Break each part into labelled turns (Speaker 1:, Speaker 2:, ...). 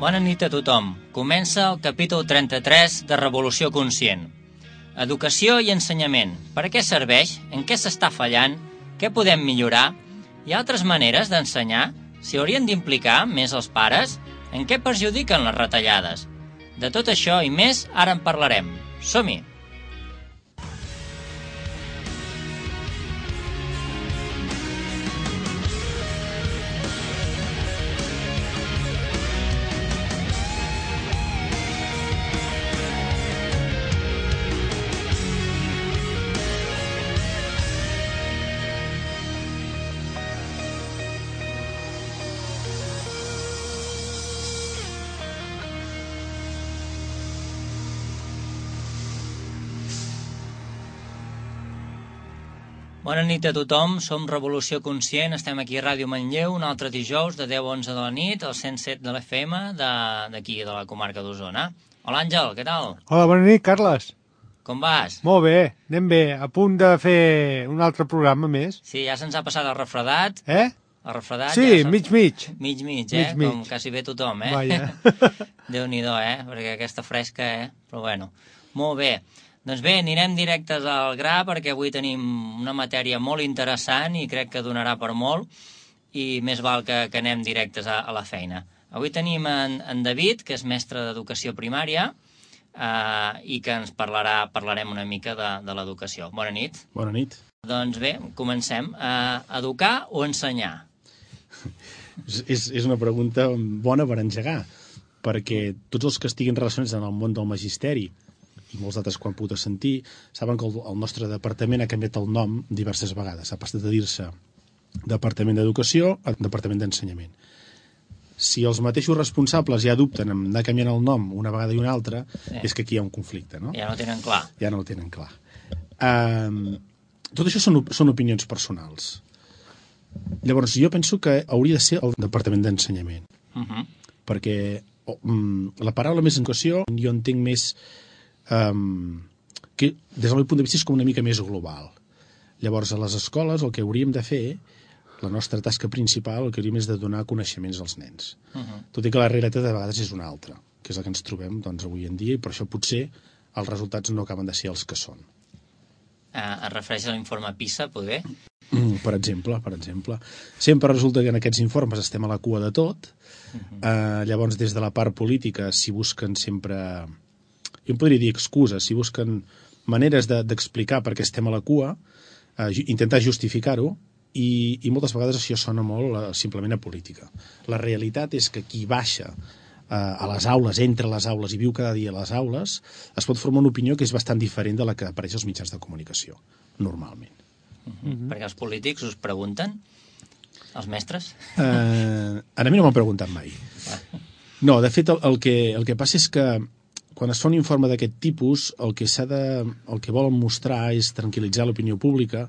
Speaker 1: Bona nit a tothom. Comença el capítol 33 de Revolució Conscient. Educació i ensenyament. Per a què serveix? En què s'està fallant? Què podem millorar? Hi ha altres maneres d'ensenyar? S'hi haurien d'implicar més els pares? En què perjudiquen les retallades? De tot això i més, ara en parlarem. Som-hi! Bona nit a tothom, som Revolució Conscient, estem aquí a Ràdio Manlleu un altre dijous de 10 a 11 de la nit, al 107 de l'FM d'aquí, de la comarca d'Osona. Hola Àngel, què tal?
Speaker 2: Hola, bona nit, Carles.
Speaker 1: Com vas?
Speaker 2: Molt bé, anem bé, a punt de fer un altre programa més.
Speaker 1: Sí, ja se'ns ha passat el refredat.
Speaker 2: El
Speaker 1: refredat
Speaker 2: sí,
Speaker 1: ja
Speaker 2: mig.
Speaker 1: Mig, com quasi bé tothom,
Speaker 2: Vaja.
Speaker 1: Déu-n'hi-do, perquè aquesta fresca, però bueno. Molt bé. Doncs bé, anirem directes al gra perquè avui tenim una matèria molt interessant i crec que donarà per molt i més val que anem directes a la feina. Avui tenim en David, que és mestre d'educació primària i que ens parlarem una mica de l'educació. Bona nit.
Speaker 3: Bona nit.
Speaker 1: Doncs bé, comencem. Educar o ensenyar?
Speaker 3: És una pregunta bona per engegar, perquè tots els que estiguin relacionats en el món del magisteri i molts altres quan puc sentir, saben que el nostre departament ha canviat el nom diverses vegades. Ha passat de dir-se Departament d'Educació a Departament d'Ensenyament. Si els mateixos responsables ja dubten en anar canviant el nom una vegada i una altra, és que aquí hi ha un conflicte, no?
Speaker 1: Ja no ho tenen clar.
Speaker 3: Ja no ho tenen clar. Tot això són opinions personals. Llavors, jo penso que hauria de ser el Departament d'Ensenyament. Perquè la paraula més educació jo entenc més que des del meu punt de vista és com una mica més global. Llavors, a les escoles el que hauríem de fer, la nostra tasca principal, el que hauríem és de donar coneixements als nens. Tot i que la realitat de vegades és una altra, que és la que ens trobem avui en dia, i per això potser els resultats no acaben de ser els que són.
Speaker 1: Es refereix a l'informe PISA, poder?
Speaker 3: Per exemple. Sempre resulta que en aquests informes estem a la cua de tot. Llavors, des de la part política s'hi busquen sempre... Jo em podria dir excuses, si busquen maneres d'explicar per què estem a la cua, intentar justificar-ho, i moltes vegades això sona molt simplement a política. La realitat és que qui baixa a les aules, entre les aules i viu cada dia a les aules, es pot formar una opinió que és bastant diferent de la que apareix als mitjans de comunicació, normalment.
Speaker 1: Perquè els polítics us pregunten? Els mestres?
Speaker 3: A mi no m'han preguntat mai. No, de fet, el que passa és que quan es fa un informe d'aquest tipus, el que volen mostrar és tranquil·litzar l'opinió pública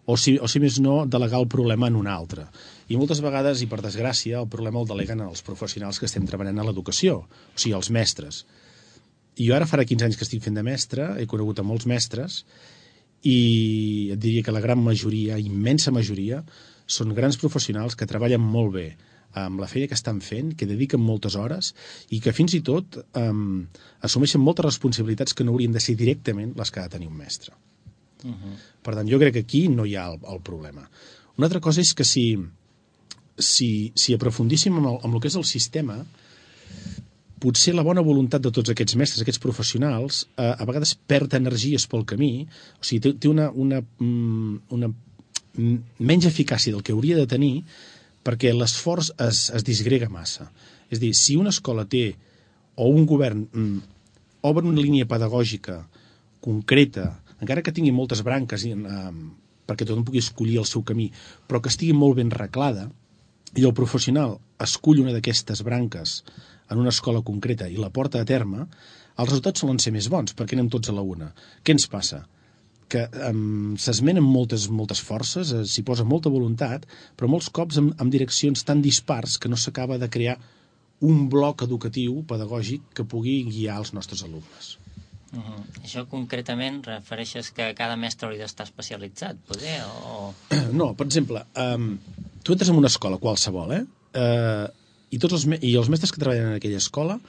Speaker 3: o si més no, delegar el problema en un altre. I moltes vegades, i per desgràcia, el problema el deleguen els professionals que estem treballant a l'educació, o sigui, els mestres. I jo ara farà 15 anys que estic fent de mestre, he conegut a molts mestres, i et diria que la gran majoria, immensa majoria, són grans professionals que treballen molt bé amb la feina que estan fent, que dediquen moltes hores i que fins i tot assumeixen moltes responsabilitats que no haurien de ser directament les que ha de tenir un mestre. Per tant, jo crec que aquí no hi ha el problema. Una altra cosa és que si aprofundíssim en el que és el sistema, potser la bona voluntat de tots aquests mestres, aquests professionals, a vegades perd energies pel camí, o sigui, té una menys eficàcia del que hauria de tenir, perquè l'esforç es disgrega massa. És a dir, si una escola té, o un govern obre una línia pedagògica concreta, encara que tingui moltes branques perquè tothom pugui escollir el seu camí, però que estigui molt ben reglada, i el professional escull una d'aquestes branques en una escola concreta i la porta a terme, els resultats solen ser més bons, perquè anem tots a la una. Què ens passa? Que s'esmenen moltes forces, s'hi posa molta voluntat, però molts cops amb direccions tan dispars que no s'acaba de crear un bloc educatiu, pedagògic, que pugui guiar els nostres alumnes.
Speaker 1: Això concretament refereixes que cada mestre hauria d'estar especialitzat, poder? No,
Speaker 3: per exemple, tu entres en una escola qualsevol, I els mestres que treballen en aquella escola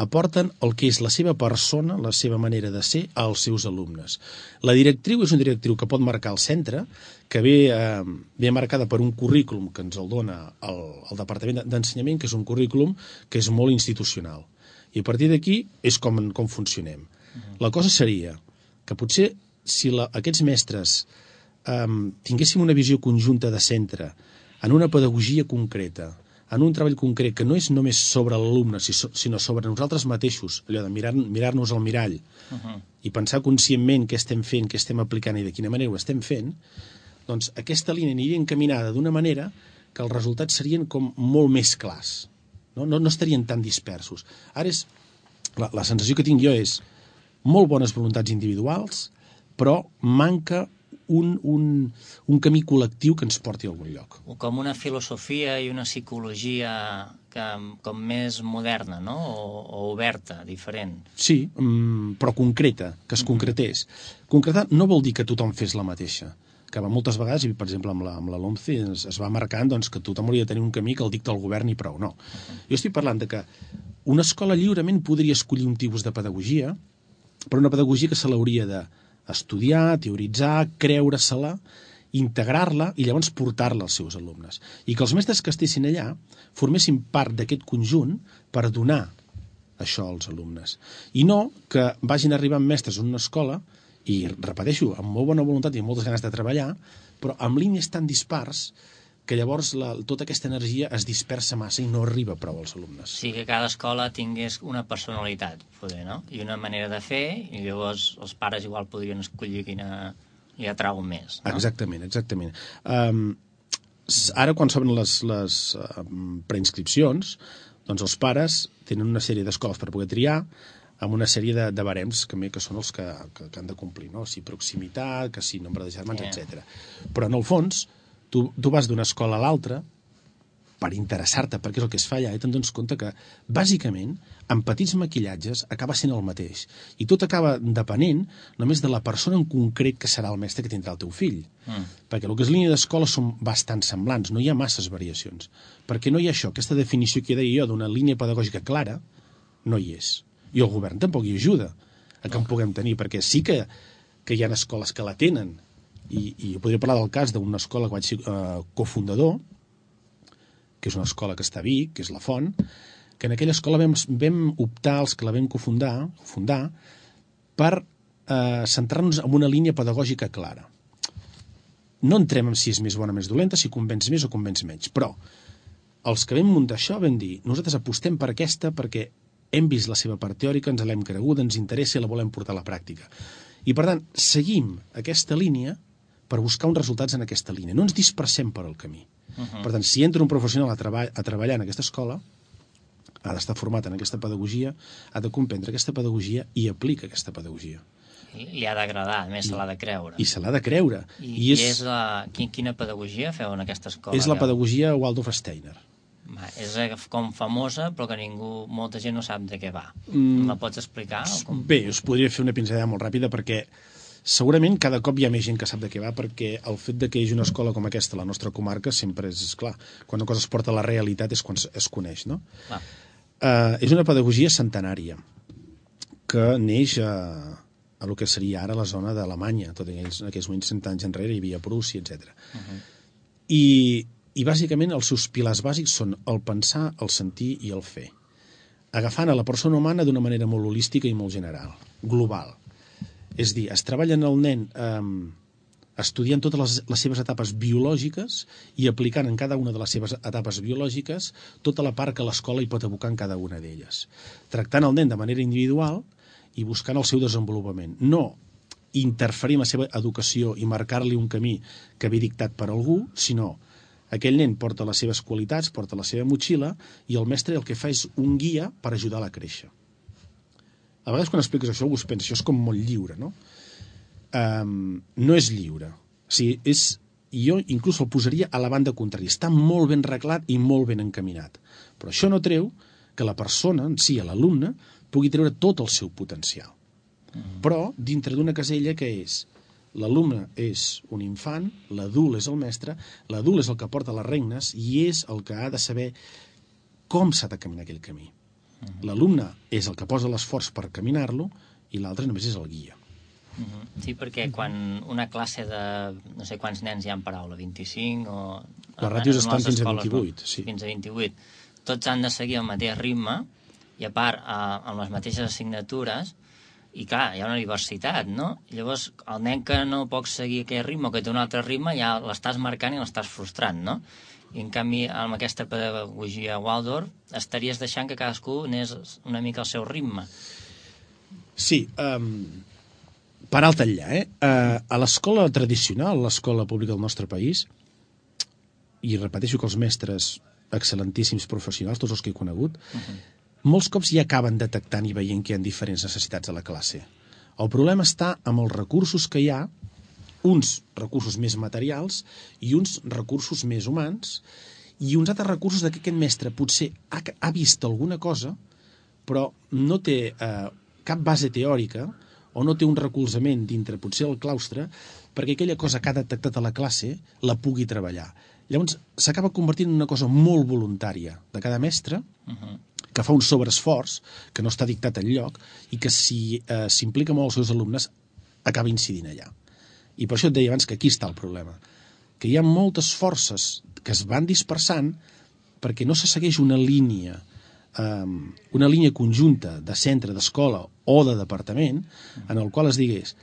Speaker 3: aporten el que és la seva persona, la seva manera de ser als seus alumnes. La directriu és un directriu que pot marcar el centre, que ve marcada per un currículum que ens el dona el Departament d'Ensenyament, que és un currículum que és molt institucional. I a partir d'aquí és com funcionem. La cosa seria que potser si aquests mestres tinguéssim una visió conjunta de centre en una pedagogia concreta, en un treball concret que no és només sobre l'alumne, sinó sobre nosaltres mateixos, allò de mirar-nos al mirall i pensar conscientment què estem fent, què estem aplicant i de quina manera ho estem fent, doncs aquesta línia aniria encaminada d'una manera que els resultats serien com molt més clars. No estarien tan dispersos. Ara la sensació que tinc jo és molt bones voluntats individuals, però manca un camí col·lectiu que ens porti a algun lloc.
Speaker 1: Com una filosofia i una psicologia com més moderna, no? O oberta, diferent.
Speaker 3: Sí, però concreta, que es concretés. Concretar no vol dir que tothom fes la mateixa, que moltes vegades, per exemple, amb la LOMCE es va marcant que tothom hauria de tenir un camí que el dicta el govern i prou. No. Jo estic parlant de que una escola lliurement podria escollir un tipus de pedagogia, però una pedagogia que se l'hauria d'estudiar, teoritzar, creure-se-la, integrar-la i llavors portar-la als seus alumnes. I que els mestres que estessin allà formessin part d'aquest conjunt per donar això als alumnes. I no que vagin arribant mestres en una escola i, repeteixo, amb molt bona voluntat i amb moltes ganes de treballar, però amb línies tan dispars que llavors tota aquesta energia es dispersa massa i no arriba prou als alumnes.
Speaker 1: Sí, que cada escola tingués una personalitat, poder, no? I una manera de fer, i llavors els pares igual podrien escollir quina li atrau més, no?
Speaker 3: Exactament. Ara, quan s'obren les preinscripcions, doncs els pares tenen una sèrie d'escoles per poder triar, amb una sèrie de barems que són els que han de complir, no? Si proximitat, que si nombre de germans, etc. Però, en el fons, tu vas d'una escola a l'altra per interessar-te, perquè és el que es fa allà, i te'n dones compte que, bàsicament, amb petits maquillatges, acaba sent el mateix. I tot acaba depenent només de la persona en concret que serà el mestre que tindrà el teu fill. Perquè el que és línia d'escola són bastant semblants, no hi ha masses variacions. Perquè no hi ha això, aquesta definició que deia jo d'una línia pedagògica clara, no hi és. I el govern tampoc hi ajuda a que en puguem tenir, perquè sí que hi ha escoles que la tenen, i podria parlar del cas d'una escola que vaig ser cofundador, que és una escola que està a Vic, que és la Font, que en aquella escola vam optar, els que la vam fundar, per centrar-nos en una línia pedagògica clara. No entrem en si és més bona o més dolenta, si convenç més o convenç menys, però els que vam muntar això vam dir, nosaltres apostem per aquesta perquè hem vist la seva part teòrica, ens l'hem creguda, ens interessa i la volem portar a la pràctica. I, per tant, seguim aquesta línia per buscar uns resultats en aquesta línia. No ens dispersem per el camí. Per tant, si entra un professional a treballar en aquesta escola, ha d'estar format en aquesta pedagogia, ha de comprendre aquesta pedagogia i aplica aquesta pedagogia.
Speaker 1: Li ha d'agradar, a més se l'ha de creure.
Speaker 3: I se l'ha de creure.
Speaker 1: Quina pedagogia feu en aquesta escola?
Speaker 3: És la pedagogia Waldorf Steiner.
Speaker 1: És com famosa, però que molta gent no sap de què va. La pots explicar?
Speaker 3: Bé, us podria fer una pinzellada molt ràpida perquè segurament cada cop hi ha més gent que sap de què va, perquè el fet de que hi hagi una escola com aquesta a la nostra comarca sempre és clar. Quan una cosa es porta a la realitat és quan es coneix, no? És una pedagogia centenària que neix a el que seria ara la zona d'Alemanya, tot en aquells moments 100 anys enrere hi havia Prússia, etc. I bàsicament els seus pilars bàsics són el pensar, el sentir i el fer, agafant a la persona humana d'una manera molt holística i molt general, global. És a dir, es treballa en el nen estudiant totes les seves etapes biològiques i aplicant en cada una de les seves etapes biològiques tota la part que l'escola hi pot abocar en cada una d'elles. Tractant el nen de manera individual i buscant el seu desenvolupament. No interferir en la seva educació i marcar-li un camí que ve dictat per algú, sinó aquell nen porta les seves qualitats, porta la seva motxilla, i el mestre el que fa és un guia per ajudar-la a créixer. A vegades quan expliques això algú es pensa, això és com molt lliure, no? No és lliure. O sigui, jo inclús el posaria a la banda contrària. Està molt ben reglat i molt ben encaminat. Però això no treu que la persona, en si, l'alumne, pugui treure tot el seu potencial. Però dintre d'una casella que és l'alumne és un infant, l'adult és el mestre, l'adult és el que porta les regnes i és el que ha de saber com s'ha de caminar aquell camí. L'alumne és el que posa l'esforç per caminar-lo i l'altre només és el guia.
Speaker 1: Sí, perquè quan una classe de no sé quants nens hi ha en paraula, 25 o...
Speaker 3: Les ràtios estan fins a 28, sí.
Speaker 1: Fins a 28. Tots han de seguir el mateix ritme i, a part, amb les mateixes assignatures, i clar, hi ha una diversitat, no? Llavors, el nen que no pot seguir aquell ritme o que té un altre ritme, ja l'estàs marcant i l'estàs frustrant, no? I, en canvi, amb aquesta pedagogia Waldorf, estaries deixant que cadascú anés una mica al seu ritme.
Speaker 3: Sí, per alt enllà, a l'escola tradicional, l'escola pública del nostre país, i repeteixo que els mestres excel·lentíssims professionals, tots els que he conegut, molts cops ja acaben detectant i veient que hi ha diferents necessitats a la classe. El problema està amb els recursos que hi ha, uns recursos més materials i uns recursos més humans, i uns altres recursos que aquest mestre potser ha vist alguna cosa, però no té cap base teòrica o no té un recolzament dintre potser el claustre perquè aquella cosa que ha detectat a la classe la pugui treballar. Llavors s'acaba convertint en una cosa molt voluntària de cada mestre, que fa un sobreesforç que no està dictat enlloc i que si s'implica molt els seus alumnes acaba incidint allà. I per això et deia abans que aquí està el problema, que hi ha moltes forces que es van dispersant perquè no se segueix una línia conjunta de centre, d'escola o de departament en el qual es digués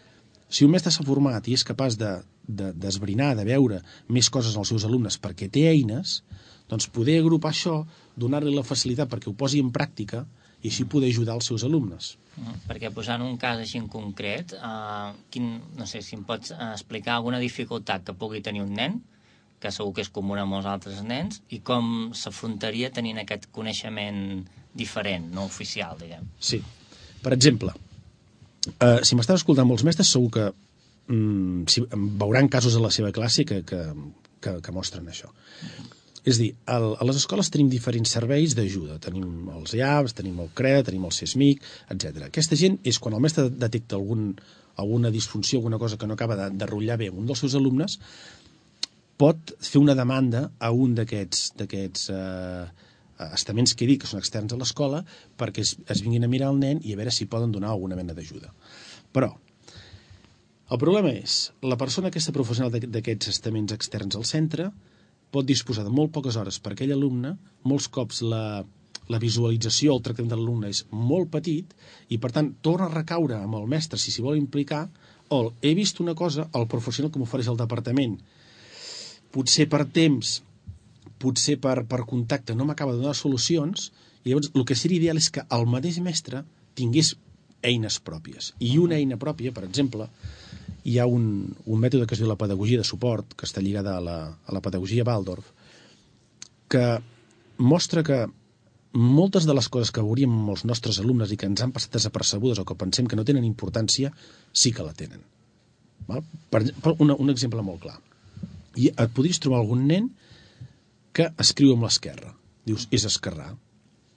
Speaker 3: si un mestre s'ha format i és capaç d'esbrinar, de veure més coses als seus alumnes perquè té eines, doncs poder agrupar això, donar-li la facilitat perquè ho posi en pràctica i així poder ajudar els seus alumnes.
Speaker 1: Perquè posant un cas així en concret, no sé si em pots explicar alguna dificultat que pugui tenir un nen, que segur que és comú a molts altres nens, i com s'afrontaria tenint aquest coneixement diferent, no oficial, diguem.
Speaker 3: Sí. Per exemple, si m'estan escoltant molts mestres, segur que veuran casos a la seva classe que mostren això. És a dir, a les escoles tenim diferents serveis d'ajuda. Tenim els IAPs, tenim el CREA, tenim el CESMIC, etc. Aquesta gent és quan el mestre detecta alguna disfunció, alguna cosa que no acaba de rotllar bé un dels seus alumnes, pot fer una demanda a un d'aquests estaments que he dit que són externs a l'escola perquè es vinguin a mirar el nen i a veure si poden donar alguna mena d'ajuda. Però el problema és la persona aquesta professional d'aquests estaments externs al centre pot disposar de molt poques hores per aquell alumne, molts cops la visualització, el tractament de l'alumne és molt petit i per tant torna a recaure amb el mestre si s'hi vol implicar o he vist una cosa, el professional que m'ofereix el departament potser per temps, potser per contacte no m'acaba de donar solucions i llavors el que seria ideal és que el mateix mestre tingués eines pròpies. I una eina pròpia, per exemple, hi ha un mètode que es diu la pedagogia de suport, que està lligada a la pedagogia Waldorf, que mostra que moltes de les coses que veuríem amb els nostres alumnes i que ens han passat desapercebudes o que pensem que no tenen importància, sí que la tenen. Un exemple molt clar. I et podries trobar algun nen que escriu amb l'esquerra. Dius, és esquerrà.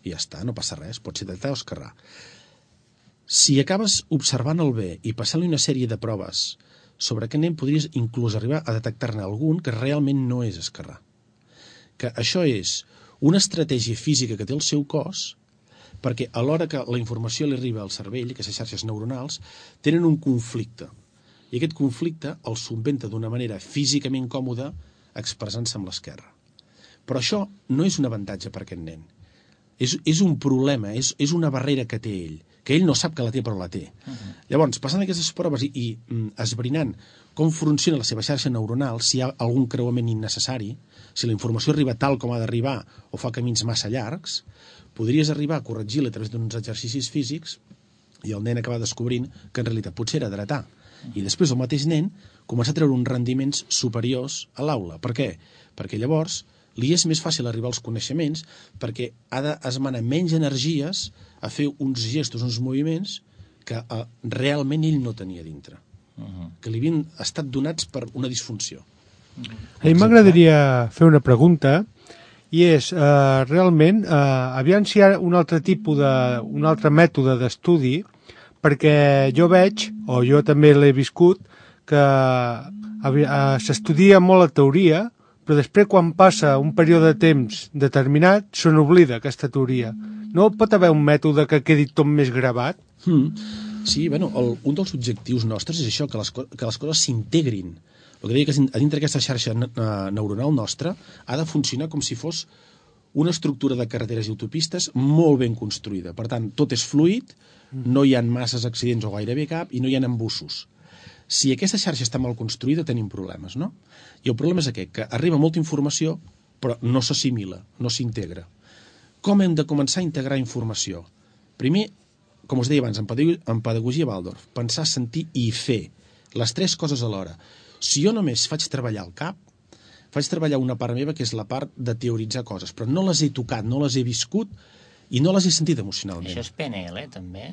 Speaker 3: I ja està, no passa res, pot ser dretà o esquerrà. Si acabes observant el bé i passant-li una sèrie de proves sobre aquest nen, podries inclús arribar a detectar-ne algun que realment no és esquerrà. Que això és una estratègia física que té el seu cos perquè a l'hora que la informació li arriba al cervell, aquestes xarxes neuronals, tenen un conflicte. I aquest conflicte el subventa d'una manera físicament còmoda expressant-se amb l'esquerra. Però això no és un avantatge per aquest nen. És un problema, és una barrera que té ell, que ell no sap que la té però la té. Llavors, passant aquestes proves i esbrinant com funciona la seva xarxa neuronal, si hi ha algun creuament innecessari, si la informació arriba tal com ha d'arribar o fa camins massa llargs, podries arribar a corregir-la a través d'uns exercicis físics i el nen acaba descobrint que en realitat potser era dretà. I després el mateix nen comença a treure uns rendiments superiors a l'aula. Per què? Perquè llavors li és més fàcil arribar als coneixements perquè ha d'esmenar menys energies a fer uns gestos, uns moviments que realment ell no tenia dintre. Que li havien estat donats per una disfunció.
Speaker 2: A mi m'agradaria fer una pregunta i és, realment, aviam si hi ha un altre mètode d'estudi perquè jo veig, o jo també l'he viscut, que s'estudia molt la teoria, però després quan passa un període de temps determinat se n'oblida aquesta teoria. No pot haver un mètode que quedi tot més gravat?
Speaker 3: Sí, bueno, un dels objectius nostres és això, que les coses s'integrin. El que deia que a dintre d'aquesta xarxa neuronal nostra ha de funcionar com si fos una estructura de carreteres i autopistes molt ben construïda. Per tant, tot és fluid, no hi ha masses accidents o gairebé cap, i no hi ha embussos. Si aquesta xarxa està mal construïda, tenim problemes, no? I el problema és aquest, que arriba molta informació, però no s'assimila, no s'integra. Com hem de començar a integrar informació? Primer, com us deia abans, en pedagogia Waldorf, pensar, sentir i fer. Les tres coses alhora. Si jo només faig treballar el cap, faig treballar una part meva, que és la part de teoritzar coses, però no les he tocat, no les he viscut i no les he sentit emocionalment.
Speaker 1: Això és PNL, també?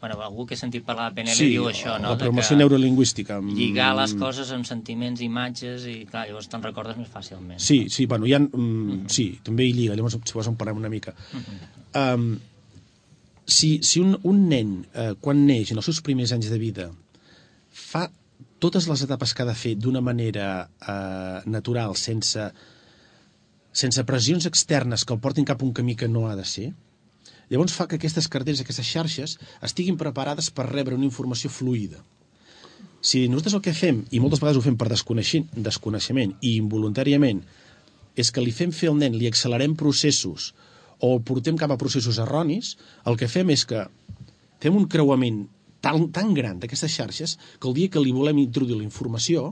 Speaker 1: Bueno, algú que he sentit parlar de PNL diu això, no?
Speaker 3: La programació neurolingüística.
Speaker 1: Lligar les coses amb sentiments, imatges, i clar, llavors te'n recordes més fàcilment.
Speaker 3: Sí, bueno, hi ha... Sí, també hi lliga, llavors si vols en parlem una mica. Si un nen, quan neix, en els seus primers anys de vida, fa totes les etapes que ha de fer d'una manera natural, sense pressions externes que el portin cap a un camí que no ha de ser, llavors fa que aquestes carreteres, aquestes xarxes, estiguin preparades per rebre una informació fluida. Si nosaltres el que fem, i moltes vegades ho fem per desconeixement i involuntàriament, és que li fem fer al nen, li accelerem processos o el portem cap a processos erronis, el que fem és que fem un creuament tan gran d'aquestes xarxes que el dia que li volem introduir la informació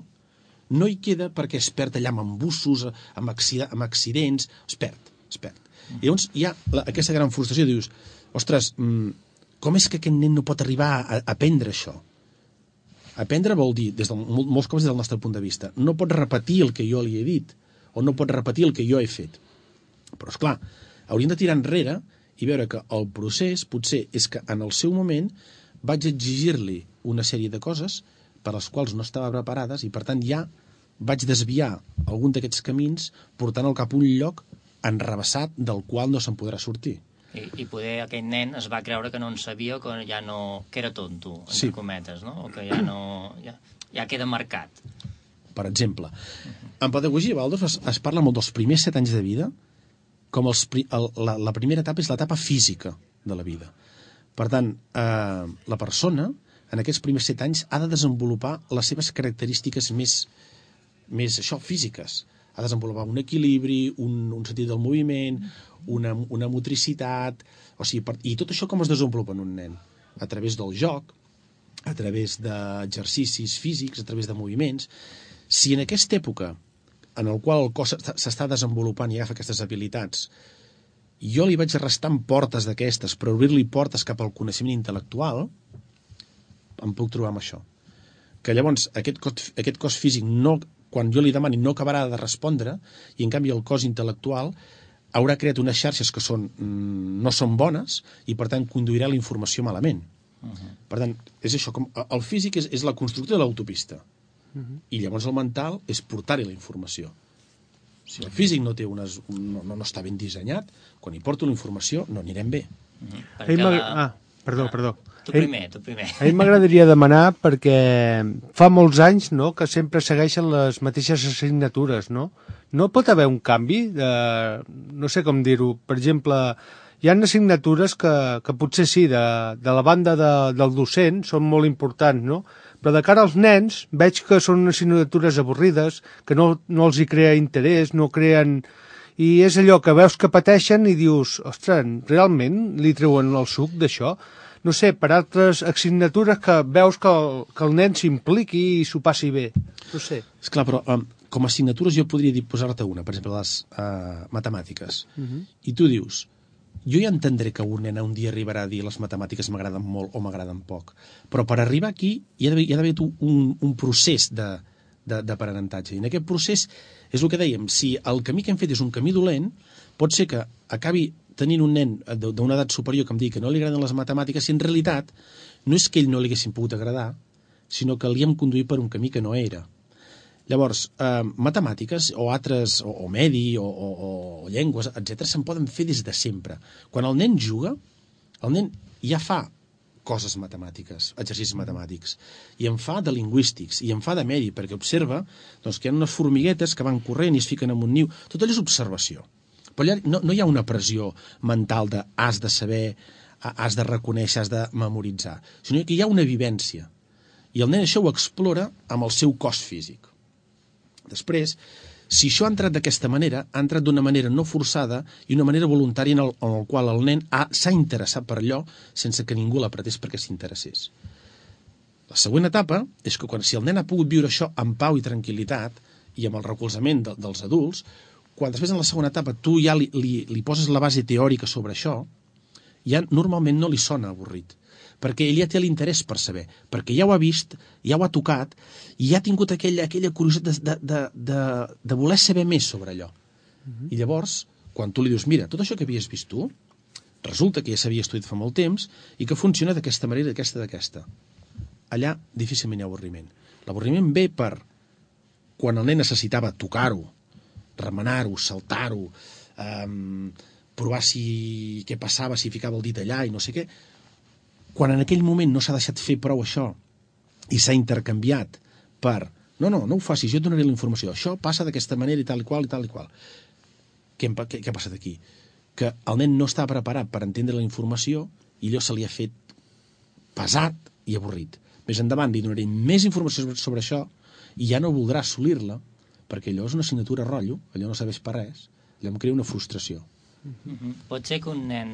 Speaker 3: no hi queda perquè es perd allà amb embussos, amb accidents, es perd. I llavors hi ha aquesta gran frustració, dius, ostres, com és que aquest nen no pot arribar a aprendre això? Aprendre vol dir, molts cops des del nostre punt de vista, no pot repetir el que jo li he dit, o no pot repetir el que jo he fet. Però, esclar, hauríem de tirar enrere i veure que el procés potser és que en el seu moment vaig exigir-li una sèrie de coses per les quals no estava preparades i, per tant, ja vaig desviar algun d'aquests camins portant-lo cap a un lloc enrevessat del qual no se'n podrà sortir.
Speaker 1: I poder aquell nen es va creure que no en sabia o que ja no... que era tonto, entre cometes, no? O que ja no... ja queda marcat.
Speaker 3: Per exemple, en pedagogia Waldorf es parla molt dels primers 7 anys de vida com la primera etapa és l'etapa física de la vida. Per tant, la persona en aquests primers 7 anys ha de desenvolupar les seves característiques més físiques. Ha de desenvolupar un equilibri, un sentit del moviment, una motricitat... O sigui, i tot això com es desenvolupa en un nen? A través del joc, a través d'exercicis físics, a través de moviments. Si en aquesta època, en el qual el cos s'està desenvolupant i agafa aquestes habilitats, jo li vaig restant portes d'aquestes, per obrir-li portes cap al coneixement intel·lectual, em puc trobar amb això. Que llavors aquest cos físic no... quan jo li demani no acabarà de respondre i en canvi el cos intel·lectual haurà creat unes xarxes que no són bones i per tant conduirà la informació malament. Per tant, és això, el físic és la construcció de l'autopista i llavors el mental és portar-hi la informació. Si el físic no està ben dissenyat, quan hi porto la informació no anirem bé.
Speaker 2: Perdó.
Speaker 1: Tu primer.
Speaker 2: A mi m'agradaria demanar, perquè fa molts anys, no?, que sempre segueixen les mateixes assignatures, no? No pot haver un canvi? No sé com dir-ho. Per exemple, hi ha assignatures que potser sí, de la banda del docent, són molt importants, no? Però de cara als nens veig que són assignatures avorrides, que no els hi crea interès, no creen... I és allò que veus que pateixen i dius, ostres, realment li treuen el suc d'això? No sé, per altres assignatures que veus que el nen s'impliqui i s'ho passi bé. No sé.
Speaker 3: Esclar, però com a assignatures jo podria posar-te una, per exemple, les matemàtiques. I tu dius, jo ja entendré que un nen un dia arribarà a dir les matemàtiques m'agraden molt o m'agraden poc, però per arribar aquí hi ha d'haver un procés d'aprenentatge. I en aquest procés és el que dèiem, si el camí que hem fet és un camí dolent, pot ser que acabi tenint un nen d'una edat superior que em digui que no li agraden les matemàtiques, si en realitat no és que ell no li haguessin pogut agradar, sinó que li hem conduït per un camí que no era. Llavors, matemàtiques o altres, o medi, o llengües, etc., se'n poden fer des de sempre. Quan el nen juga, el nen ja fa coses matemàtiques, exercicis matemàtics, i en fa de lingüístics, i en fa de medi, perquè observa doncs, que hi ha unes formiguetes que van corrent i es fiquen en un niu. Tot allò és observació. Però allà no hi ha una pressió mental de has de saber, has de reconèixer, has de memoritzar, sinó que hi ha una vivència. I el nen això ho explora amb el seu cos físic. Després, si això ha entrat d'aquesta manera, ha entrat d'una manera no forçada i una manera voluntària en el qual el nen s'ha interessat per allò sense que ningú l'apretés perquè s'interessés. La següent etapa és que si el nen ha pogut viure això amb pau i tranquil·litat i amb el recolzament dels adults, quan després en la segona etapa tu ja li poses la base teòrica sobre això, ja normalment no li sona avorrit, perquè ell ja té l'interès per saber, perquè ja ho ha vist, ja ho ha tocat, i ja ha tingut aquella curiositat de voler saber més sobre allò. I llavors, quan tu li dius, mira, tot això que havies vist tu, resulta que ja s'havia estudiat fa molt temps i que funciona d'aquesta manera, d'aquesta. Allà difícilment hi ha avorriment. L'avorriment ve per quan el nen necessitava tocar-ho, remenar-ho, saltar-ho, provar què passava, si ficava el dit allà i no sé què. Quan en aquell moment no s'ha deixat fer prou això i s'ha intercanviat per no ho facis, jo et donaré la informació, això passa d'aquesta manera i tal i qual i tal i qual. Què ha passat aquí? Que el nen no està preparat per entendre la informació i allò se li ha fet pesat i avorrit. Més endavant li donaré més informació sobre això i ja no voldrà assolir-la perquè allò és una assignatura rotllo, allò no serveix per res, allò em crea una frustració.
Speaker 1: Pot ser que un nen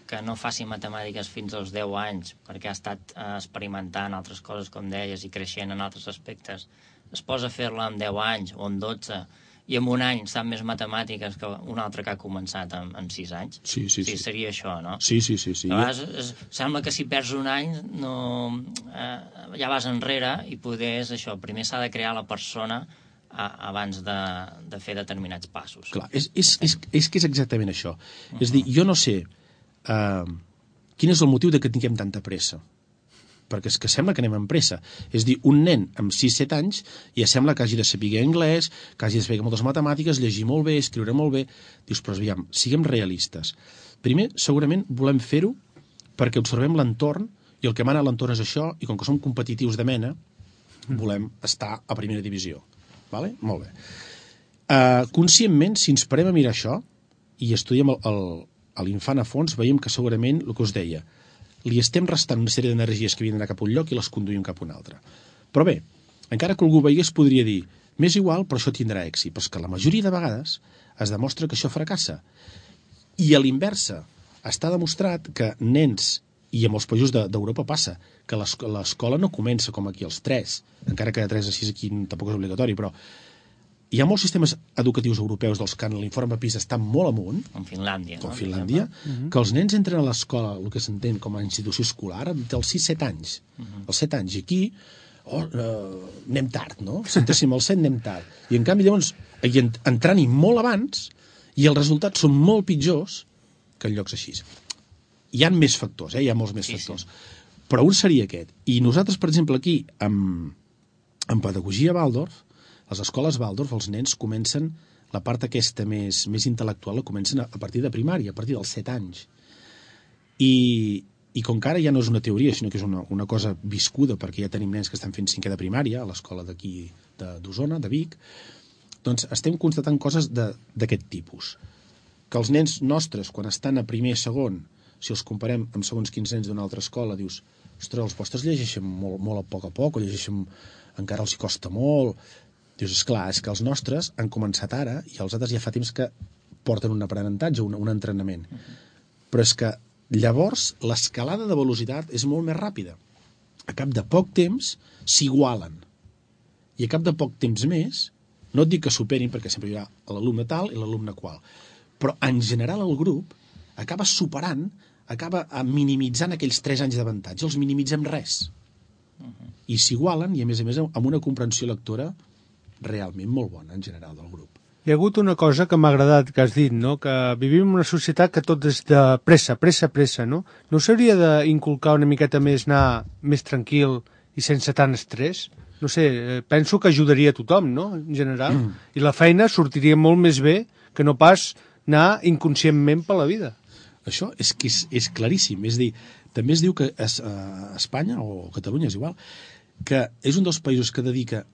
Speaker 1: que no faci matemàtiques fins als 10 anys perquè ha estat experimentant altres coses, com deies, i creixent en altres aspectes, es posa a fer-la amb 10 anys o amb 12 i en un any sap més matemàtiques que un altre que ha començat amb 6 anys?
Speaker 3: Sí.
Speaker 1: Seria això, no?
Speaker 3: Sí.
Speaker 1: A vegades sembla que si perds un any ja vas enrere i poder és això, primer s'ha de crear la persona abans de fer determinats passos.
Speaker 3: Clar, és que és exactament això. És dir, jo no sé quin és el motiu de que tinguem tanta pressa. Perquè és que sembla que anem amb pressa. És dir, un nen amb 6-7 anys ja sembla que hagi de saber anglès, que hagi de saber moltes matemàtiques, llegir molt bé, escriure molt bé. Dius, però aviam, siguem realistes. Primer, segurament volem fer-ho perquè observem l'entorn i el que mana a l'entorn és això, i com que som competitius de mena, volem estar a primera divisió. Vale? Molt bé. Conscientment, si ens parem a mirar això i estudiem l'infant a fons, veiem que segurament, el que us deia, li estem restant una sèrie d'energies que havien d'anar cap a un lloc i les conduïm cap a un altre. Però bé, encara que algú veiés, podria dir, m'és igual, però això tindrà èxit. Però és que la majoria de vegades es demostra que això fracassa. I a l'inversa, està demostrat que nens, i amb els països d'Europa passa, que l'escola no comença com aquí als 3, encara que de 3 a 6 aquí tampoc és obligatori, però hi ha molts sistemes educatius europeus dels que en l'informe PISA estan molt amunt,
Speaker 1: com Finlàndia,
Speaker 3: que els nens entren a l'escola, el que s'entén com a institució escolar, dels 6-7 anys. Els 7 anys. I aquí anem tard, no? Si entréssim als 7 anem tard. I en canvi llavors entrant-hi molt abans i els resultats són molt pitjors que en llocs així. Hi ha més factors, hi ha molts més factors. Però un seria aquest. I nosaltres, per exemple, aquí, en pedagogia Waldorf, les escoles Waldorf, els nens comencen, la part aquesta més intel·lectual, la comencen a partir de primària, a partir dels 7 anys. I com que ara ja no és una teoria, sinó que és una cosa viscuda, perquè ja tenim nens que estan fent 5è de primària, a l'escola d'aquí d'Osona, de Vic, doncs estem constatant coses d'aquest tipus. Que els nens nostres, quan estan a primer i segon, si els comparem amb segons quins nens d'una altra escola, dius, ostres, els vostres llegeixen molt a poc, o llegeixen, encara els hi costa molt. Dius, esclar, és que els nostres han començat ara i els altres ja fa temps que porten un aprenentatge, un entrenament. Però és que llavors l'escalada de velocitat és molt més ràpida. A cap de poc temps s'igualen. I a cap de poc temps més, no et dic que superin, perquè sempre hi ha l'alumne tal i l'alumne qual, però en general el grup acaba superant, acaba minimitzant aquells 3 anys d'avantatge, els minimitzem res. I s'igualen, i a més amb una comprensió lectora realment molt bona en general del grup.
Speaker 2: Hi ha hagut una cosa que m'ha agradat que has dit, no? Que vivim en una societat que tot és de pressa, no? No s'hauria d'inculcar una miqueta més, anar més tranquil i sense tant estrès? No sé, penso que ajudaria a tothom, no? En general. I la feina sortiria molt més bé que no pas anar inconscientment per la vida.
Speaker 3: Això és que és claríssim. És a dir, també es diu que a Espanya, o Catalunya, és igual, que és un dels països que dedica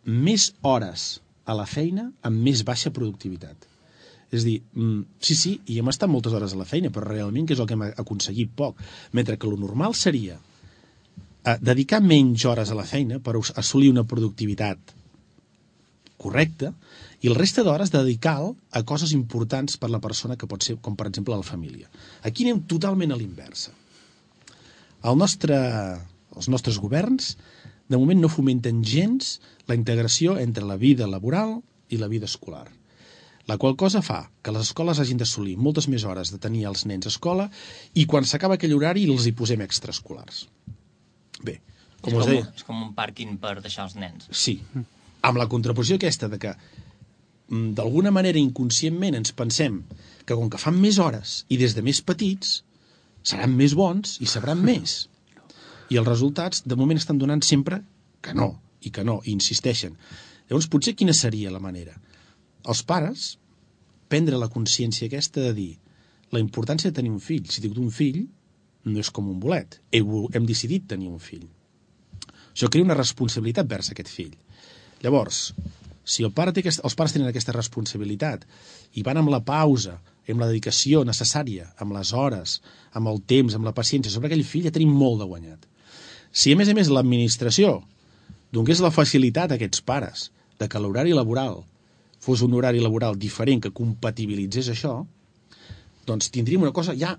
Speaker 3: més hores a la feina amb més baixa productivitat. És a dir, sí, i hem estat moltes hores a la feina, però realment que és el que hem aconseguit poc. Mentre que el normal seria dedicar menys hores a la feina per assolir una productivitat correcta, i el resta d'hores dedicar-lo a coses importants per la persona, que pot ser, com per exemple la família. Aquí anem totalment a l'inversa. Els nostres governs de moment no fomenten gens la integració entre la vida laboral i la vida escolar, la qual cosa fa que les escoles hagin d'assolir moltes més hores de tenir els nens a escola i quan s'acaba aquell horari els hi posem extraescolars. Bé,
Speaker 1: és com un pàrquing per deixar els nens.
Speaker 3: Sí, amb la contraposició aquesta de que d'alguna manera inconscientment ens pensem que com que fan més hores i des de més petits seran més bons i sabran més. I els resultats de moment estan donant sempre que no, i insisteixen. Llavors potser quina seria la manera? Els pares prendre la consciència aquesta de dir la importància de tenir un fill. Si dic d'un fill, no és com un bolet. Hem decidit tenir un fill. Això crea una responsabilitat vers aquest fill. Llavors, si els pares tenen aquesta responsabilitat i van amb la pausa, amb la dedicació necessària, amb les hores, amb el temps, amb la paciència sobre aquell fill, ja tenim molt de guanyat. Si a més l'administració donés la facilitat a aquests pares de que l'horari laboral fos un horari laboral diferent que compatibilitzés això, doncs tindríem una cosa ja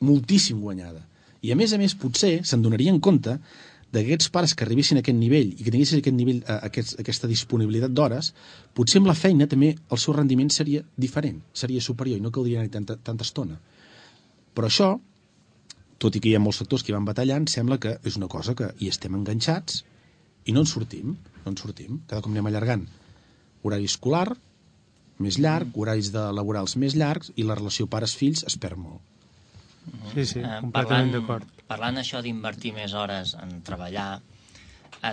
Speaker 3: moltíssim guanyada. I a més potser se'n donarien compte d'aquests pares que arribessin a aquest nivell i que tinguessin aquest nivell, aquesta disponibilitat d'hores, potser amb la feina també el seu rendiment seria diferent, seria superior i no caldria anar tanta estona. Però això, tot i que hi ha molts sectors que hi van batallant, sembla que és una cosa que hi estem enganxats i no en sortim. Cada cop anem allargant. Horari escolar més llarg, horaris laborals més llargs i la relació pares-fills es perd molt.
Speaker 2: Sí, completament d'acord.
Speaker 1: Parlant això d'invertir més hores en treballar,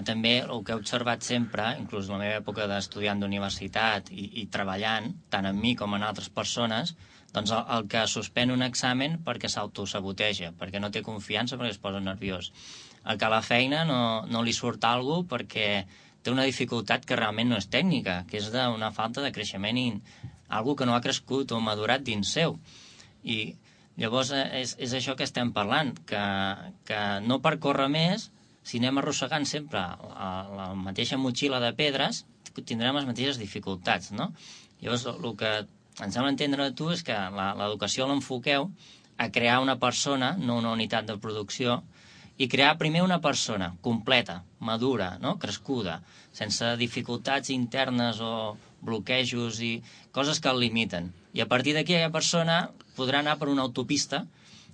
Speaker 1: també el que he observat sempre, inclús en la meva època d'estudiant d'universitat i treballant, tant en mi com en altres persones, doncs el que suspèn un examen perquè s'autosaboteja, perquè no té confiança, perquè es posa nerviós. El que a la feina no li surt alguna cosa perquè té una dificultat que realment no és tècnica, que és d'una falta de creixement i alguna que no ha crescut o madurat dins seu. I llavors és això que estem parlant, que no per córrer més, si anem arrossegant sempre la mateixa motxilla de pedres, tindrem les mateixes dificultats, no? Llavors, el que em sembla entendre de tu és que l'educació l'enfoqueu a crear una persona, no una unitat de producció, i crear primer una persona completa, madura, no? Crescuda, sense dificultats internes o bloquejos i coses que el limiten. I a partir d'aquí aquella persona podrà anar per una autopista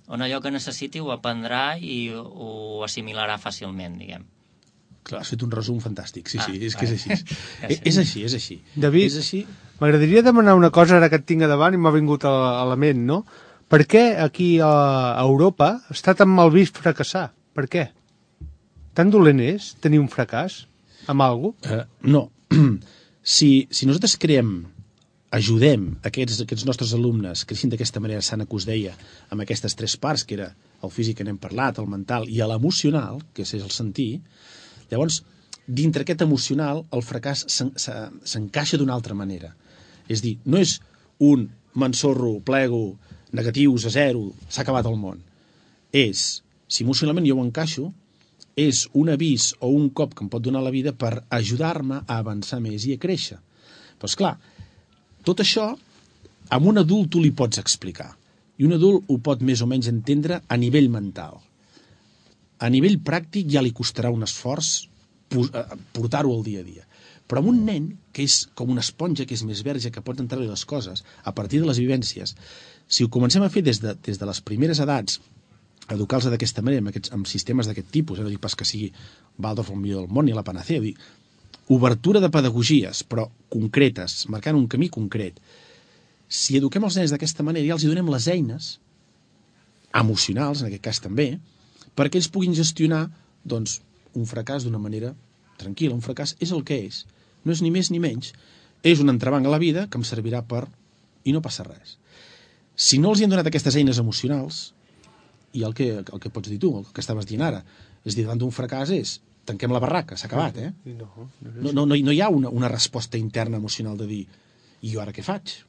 Speaker 1: on allò que necessiti ho aprendrà i ho assimilarà fàcilment, diguem.
Speaker 3: Clar, has fet un resum fantàstic, sí, és que és així. És així.
Speaker 2: David, m'agradaria demanar una cosa ara que et tinc a davant i m'ha vingut a la ment, no? Per què aquí a Europa està tan mal vist fracassar? Per què? Tan dolent és tenir un fracàs amb alguna cosa?
Speaker 3: No. Si nosaltres ajudem aquests nostres alumnes creixin d'aquesta manera sana que us deia, amb aquestes tres parts, que era el físic que n'hem parlat, el mental i l'emocional, que és el sentir, llavors, dintre aquest emocional, el fracàs s'encaixa d'una altra manera. És dir, no és un m'ensorro, plego, negatius a zero, s'ha acabat el món. Si emocionalment jo ho encaixo, és un avís o un cop que em pot donar la vida per ajudar-me a avançar més i a créixer. Però, esclar, tot això amb un adult tu li pots explicar. I un adult ho pot més o menys entendre a nivell mental. A nivell pràctic ja li costarà un esforç portar-ho al dia a dia. Però amb un nen, que és com una esponja, que és més verge, que pot entrar-li les coses a partir de les vivències, si ho comencem a fer des de les primeres edats, educar-los d'aquesta manera, amb sistemes d'aquest tipus, no dic pas que sigui Waldorf el millor del món ni la panacea, dir, obertura de pedagogies, però concretes, marcant un camí concret. Si eduquem els nens d'aquesta manera, ja els donem les eines emocionals, en aquest cas també, perquè ells puguin gestionar doncs, un fracàs d'una manera tranquil·la. Un fracàs és el que és. No és ni més ni menys. És un entrebanc a la vida que em servirà per... i no passa res. Si no els hi han donat aquestes eines emocionals, i el que pots dir tu, el que estaves dient ara, és dir, davant d'un fracàs tanquem la barraca, s'ha acabat, No hi ha una resposta interna emocional de dir, i jo ara què faig?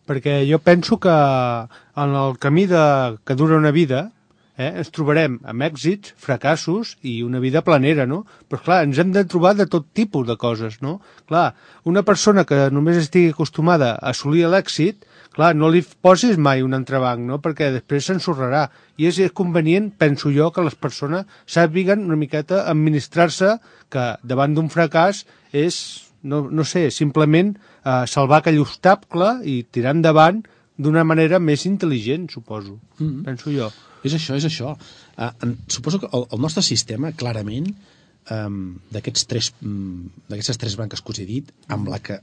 Speaker 2: Perquè jo penso que en el camí que dura una vida ens trobarem amb èxits, fracassos i una vida planera, no? Però, clar, ens hem de trobar de tot tipus de coses, no? Clar, una persona que només estigui acostumada a assolir l'èxit, clar, no li posis mai un entrebanc, no? Perquè després s'ensorrarà. I és convenient, penso jo, que les persones sàpiguen una miqueta administrar-se, que davant d'un fracàs és, no sé, simplement salvar aquell obstacle i tirar endavant d'una manera més intel·ligent, suposo. Penso jo.
Speaker 3: És això. Suposo que el nostre sistema, clarament, d'aquestes tres branques que us he dit, amb la que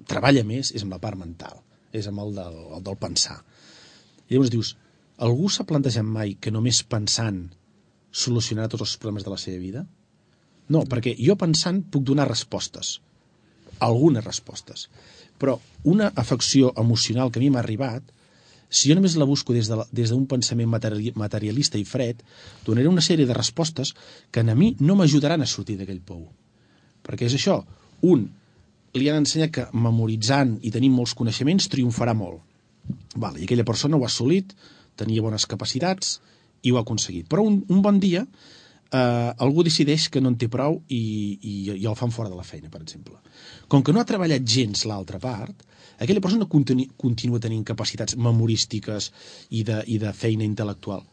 Speaker 3: treballa més és amb la part mental, és amb el del pensar. I llavors dius, algú s'ha plantejat mai que només pensant solucionarà tots els problemes de la seva vida? No, perquè jo pensant puc donar respostes, algunes respostes, però una afecció emocional que a mi m'ha arribat, si jo només la busco des d'un pensament materialista i fred, donaré una sèrie de respostes que a mi no m'ajudaran a sortir d'aquell pou. Perquè és això, li han ensenyat que memoritzant i tenint molts coneixements triomfarà molt. I aquella persona ho ha assolit, tenia bones capacitats i ho ha aconseguit. Però un bon dia algú decideix que no en té prou i el fan fora de la feina, per exemple. Com que no ha treballat gens l'altra part, aquella persona continua tenint capacitats memorístiques i de feina intel·lectual.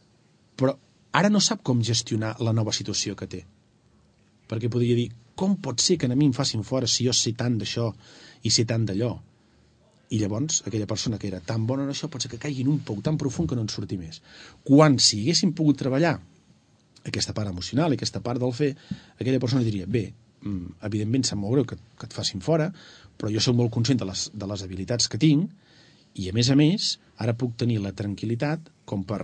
Speaker 3: Però ara no sap com gestionar la nova situació que té. Perquè podria dir, com pot ser que a mi em facin fora si jo sé tant d'això i sé tant d'allò? I llavors, aquella persona que era tan bona en això pot ser que caigui en un pou tan profund que no en surti més. Quan, si haguéssim pogut treballar aquesta part emocional i aquesta part del fer, aquella persona diria, bé, evidentment sap molt greu que et facin fora, però jo soc molt conscient de les habilitats que tinc i, a més, ara puc tenir la tranquil·litat com per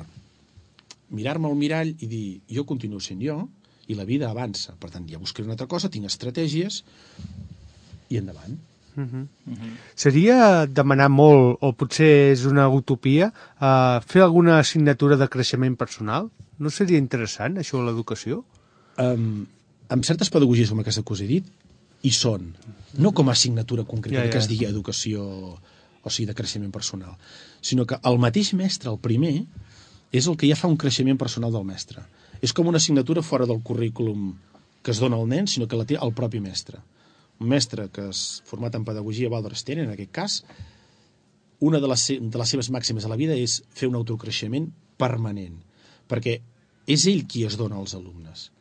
Speaker 3: mirar-me al mirall i dir, jo continuo sent jo i la vida avança. Per tant, ja buscaré una altra cosa, tinc estratègies i endavant.
Speaker 2: Seria demanar molt, o potser és una utopia, fer alguna assignatura de creixement personal? No seria interessant, això, a l'educació?
Speaker 3: Amb certes pedagogies com aquesta que us he dit, hi són. No com a assignatura concreta que es digui educació, o sigui, de creixement personal, sinó que el mateix mestre, el primer, és el que ja fa un creixement personal del mestre. És com una assignatura fora del currículum que es dona al nen, sinó que la té el propi mestre. Un mestre que és format en pedagogia Waldorf Steiner, en aquest cas, una de les seves màximes a la vida és fer un autocreixement permanent, perquè és ell qui es dona als alumnes.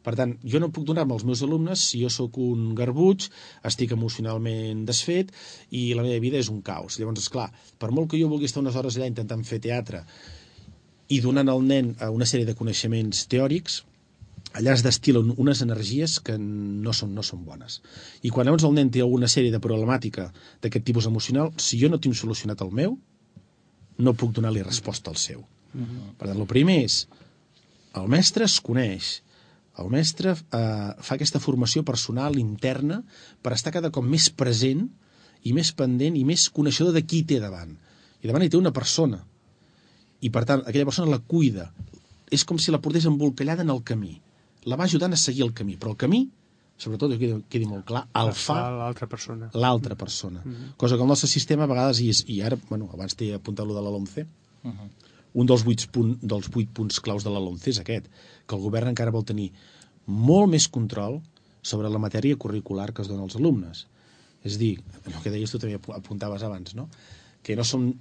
Speaker 3: Per tant, jo no puc donar-me als meus alumnes si jo sóc un garbuig, estic emocionalment desfet i la meva vida és un caos. Llavors, esclar, per molt que jo vulgui estar unes hores allà intentant fer teatre i donant al nen una sèrie de coneixements teòrics, allà es destil·len unes energies que no són bones. I quan llavors el nen té alguna sèrie de problemàtica d'aquest tipus emocional, si jo no tinc solucionat el meu, no puc donar-li resposta al seu. Per tant, el primer és, el mestre es coneix, el mestre fa aquesta formació personal interna per estar cada cop més present i més pendent i més coneixedor de qui té davant. I davant hi té una persona. I, per tant, aquella persona la cuida. És com si la portés embolcallada en el camí. La va ajudant a seguir el camí. Però el camí, sobretot, que quedi molt clar, el fa
Speaker 2: l'altra persona.
Speaker 3: L'altra persona. Cosa que el nostre sistema a vegades, i ara, abans t'he apuntat lo de la LOMCE, un dels 8 punts claus de la LOMCE és aquest, que el govern encara vol tenir molt més control sobre la matèria curricular que es dona als alumnes. És dir, el que deies tu també apuntaves abans, no? Que no som...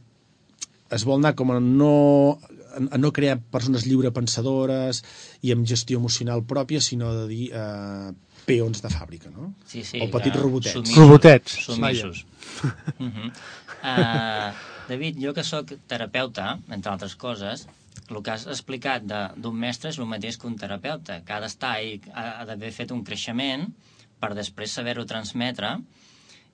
Speaker 3: Es vol anar com a no crear persones lliurepensadores i amb gestió emocional pròpia, sinó de dir peons de fàbrica, no?
Speaker 1: Sí,
Speaker 3: o petits robotets.
Speaker 2: Robotets.
Speaker 1: Submissos. David, jo que sóc terapeuta, entre altres coses, el que has explicat d'un mestre és el mateix que un terapeuta, que ha d'estar i ha d'haver fet un creixement per després saber-ho transmetre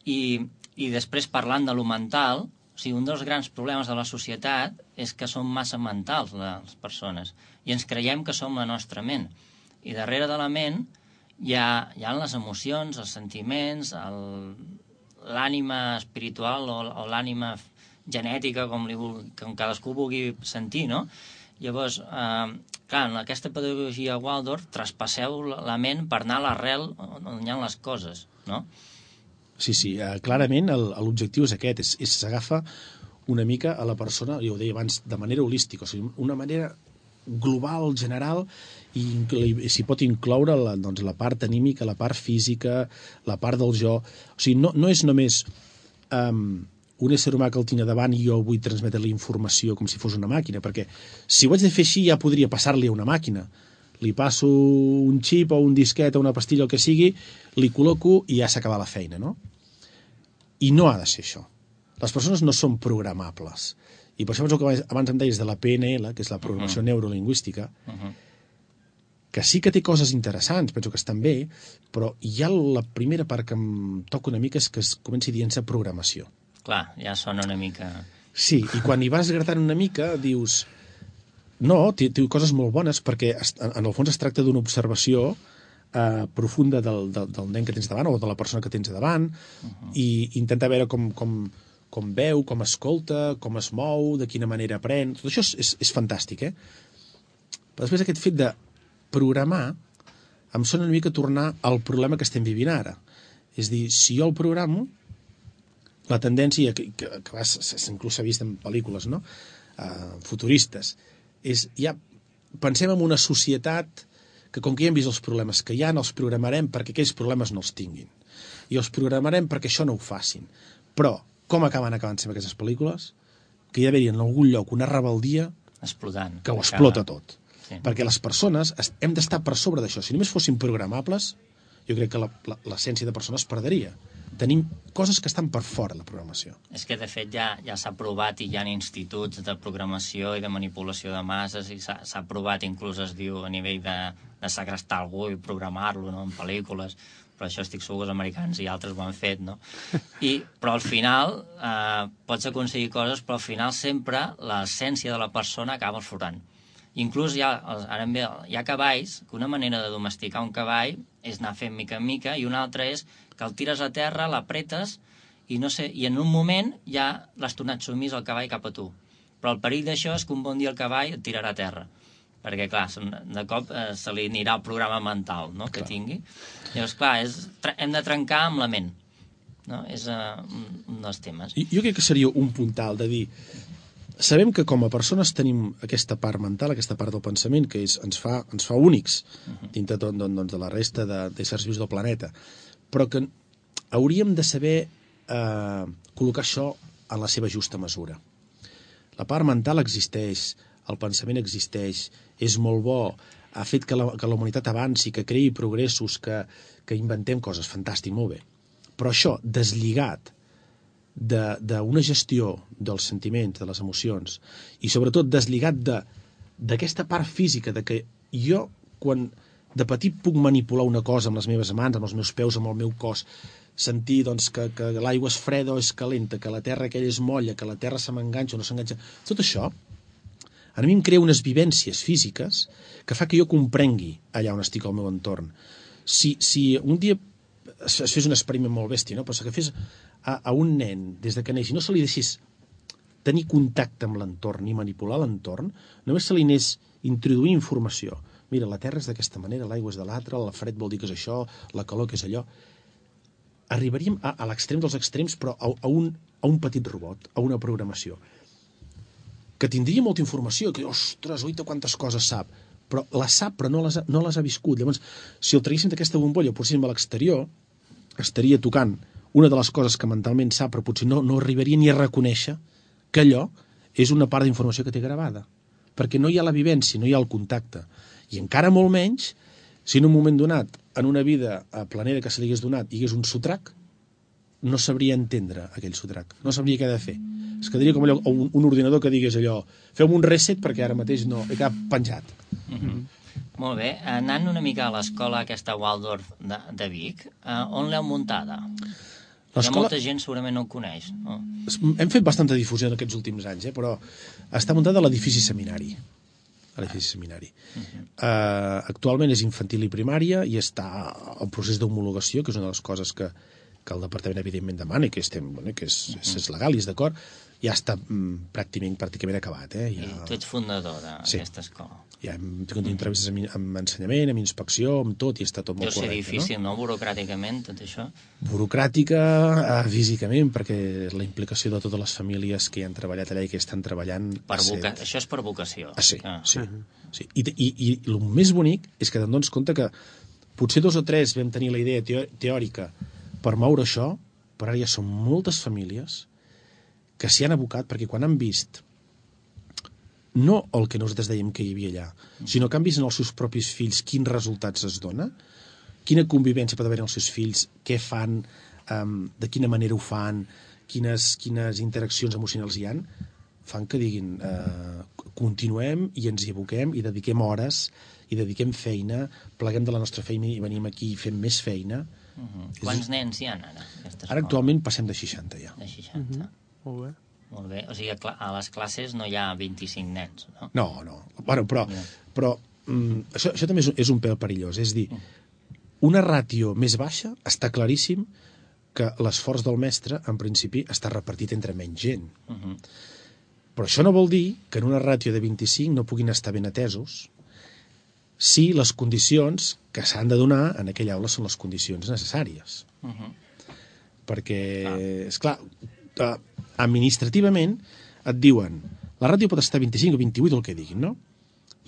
Speaker 1: i després parlant de lo mental, o sigui, un dels grans problemes de la societat és que som massa mentals les persones i ens creiem que som la nostra ment i darrere de la ment hi ha les emocions, els sentiments, l'ànima espiritual o l'ànima genètica, com cadascú vulgui sentir, no? Llavors, clar, en aquesta pedagogia Waldorf traspasseu la ment per anar a l'arrel on hi ha les coses, no?
Speaker 3: Sí, clarament l'objectiu és aquest, és s'agafa una mica a la persona, jo ho deia abans, de manera holística, o sigui, una manera global, general, i s'hi pot incloure la part anímica, la part física, la part del jo. O sigui, no és només un ésser humà que el tinc davant i jo vull transmetre la informació com si fos una màquina, perquè si ho haig de fer així ja podria passar-li a una màquina. Li passo un xip o un disquet o una pastilla, el que sigui, li col·loco i ja s'acaba la feina, no? I no ha de ser això. Les persones no són programables. I per això el que abans em deies de la PNL, que és la programació neurolingüística, que sí que té coses interessants, penso que estan bé, però ja la primera part que em toca una mica és que es comenci dient-se programació.
Speaker 1: Clar, ja sona una mica...
Speaker 3: Sí, i quan hi vas gratant una mica dius... No, té coses molt bones, perquè en el fons es tracta d'una observació profunda del nen que tens davant o de la persona que tens davant i intentar veure com veu, com escolta, com es mou, de quina manera aprèn. Tot això és fantàstic, eh? Però després aquest fet de programar em sona una mica tornar al problema que estem vivint ara. És dir, si jo el programo, la tendència, que inclús s'ha vist en pel·lícules, no? Futuristes, és ja pensem en una societat que com que ja hem vist els problemes que hi ha, els programarem perquè aquells problemes no els tinguin. I els programarem perquè això no ho facin. Però com acaben sempre aquestes pel·lícules? Que hi ha d'haver en algun lloc una rebeldia
Speaker 1: explotant,
Speaker 3: que ho explota tot.
Speaker 1: Sí.
Speaker 3: Perquè les persones hem d'estar per sobre d'això. Si només fossin programables, jo crec que l'essència de persona es perdria. Tenim coses que estan per fora de la programació.
Speaker 1: És que, de fet, ja s'ha provat i hi ha instituts de programació i de manipulació de masses i s'ha provat, inclús es diu, a nivell de segrestar algú i programar-lo, no?, en pel·lícules, però això estic segur que els americans i altres ho han fet, no? Però al final pots aconseguir coses, però al final sempre l'essència de la persona acaba aflorant. Inclús hi ha cavalls que una manera de domesticar un cavall és anar fent mica en mica i una altra és que el tires a terra, l'apretes i en un moment ja l'has tornat sumís al cavall cap a tu. Però el perill d'això és que un bon dia el cavall et tirarà a terra. Perquè, clar, de cop se li anirà el programa mental, no?, que tingui. Llavors, clar, hem de trencar amb la ment. No? És un dels temes.
Speaker 3: Jo crec que seria un puntal de dir... Sabem que com a persones tenim aquesta part mental, aquesta part del pensament, que ens fa únics dintre de la resta d'éssers vius del planeta, però que hauríem de saber col·locar això en la seva justa mesura. La part mental existeix, el pensament existeix, és molt bo, ha fet que la humanitat avanci, que creï progressos, que inventem coses, fantàstic, molt bé. Però això, deslligat d'una gestió dels sentiments, de les emocions, i sobretot deslligat d'aquesta part física, de que jo, quan de petit puc manipular una cosa amb les meves mans, amb els meus peus, amb el meu cos, sentir doncs, que l'aigua és freda o és calenta, que la terra aquella és molla, que la terra se m'enganxa o no s'enganxa, tot això a mi em crea unes vivències físiques que fa que jo comprengui allà on estic al meu entorn. Si un dia es fes un experiment molt bèstia, no? Però que fes a un nen des de que neix i no se li deixés tenir contacte amb l'entorn ni manipular l'entorn, només se li anés introduir informació. Mira, la terra és d'aquesta manera, l'aigua és de l'altra, el fred vol dir que és això, la calor que és allò. Arribaríem a l'extrem dels extrems, però a un petit robot, a una programació, que tindria molta informació, que, ostres, oita quantes coses sap, però les sap, però no les ha viscut. Llavors, si el traguéssim d'aquesta bombolla, o poséssim a l'exterior, estaria tocant una de les coses que mentalment sap, però potser no arribaria ni a reconèixer que allò és una part d'informació que té gravada. Perquè no hi ha la vivència, no hi ha el contacte. I encara molt menys, si en un moment donat, en una vida planera que se li hagués donat, hi hagués un sotrac, no sabria entendre aquell sotrac, no sabria què ha de fer. Es quedaria com allò, un ordinador que digués allò, feu-me un reset perquè ara mateix no, he quedat penjat.
Speaker 1: Molt bé, anant una mica a l'escola aquesta Waldorf de Vic, on l'heu muntada? Hi ha molta gent segurament no ho coneix, no?
Speaker 3: Hem fet bastanta difusió en aquests últims anys, però està muntada a l'edifici seminari. Actualment és infantil i primària i està en procés d'homologació, que és una de les coses que el departament evidentment demana i que és legal i és d'acord, ja està pràcticament acabat.
Speaker 1: I tu ets fundador d'aquesta escola.
Speaker 3: Ja hem tingut entrevistes amb ensenyament, amb inspecció, amb tot, i està tot molt correcte.
Speaker 1: Deu ser difícil, no? Burocràticament, tot això?
Speaker 3: Burocràtica, físicament, perquè la implicació de totes les famílies que hi han treballat allà i que estan treballant...
Speaker 1: Això és per vocació.
Speaker 3: Sí. I el més bonic és que te'n dones compte que potser 2 o 3 vam tenir la idea teòrica per moure això, però ara ja són moltes famílies que s'hi han abocat, perquè quan han vist no el que nosaltres dèiem que hi havia allà, sinó que han vist en els seus propis fills quins resultats es dona, quina convivència pot haver en els seus fills, què fan, de quina manera ho fan, quines interaccions emocionals hi han, fan que diguin continuem i ens hi aboquem i dediquem hores i dediquem feina, pleguem de la nostra feina i venim aquí i fem més feina.
Speaker 1: Quants nens hi ha ara?
Speaker 3: Ara actualment passem de 60 ja.
Speaker 1: De 60.
Speaker 2: Molt bé.
Speaker 1: Molt bé, o sigui, a les classes no hi ha 25 nens, no?
Speaker 3: No. Bueno, però això també és un pèl perillós. És dir, una ràtio més baixa està claríssim que l'esforç del mestre, en principi, està repartit entre menys gent. Però això no vol dir que en una ràtio de 25 no puguin estar ben atesos si les condicions que s'han de donar en aquella aula són les condicions necessàries. Perquè, esclar, administrativament et diuen la ràtio pot estar 25 o 28 o el que diguin, no?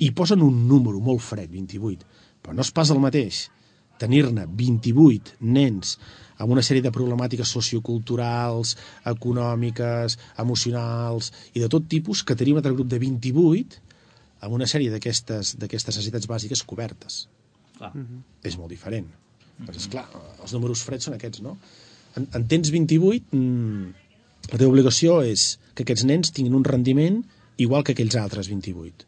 Speaker 3: I posen un número molt fred, 28, però no és pas el mateix tenir-ne 28 nens amb una sèrie de problemàtiques socioculturals, econòmiques, emocionals i de tot tipus, que tenir un altre grup de 28 amb una sèrie d'aquestes necessitats bàsiques cobertes.
Speaker 1: Clar.
Speaker 3: És molt diferent. Però, esclar, els números freds són aquests, no? En tens 28... La teva obligació és que aquests nens tinguin un rendiment igual que aquells altres 28.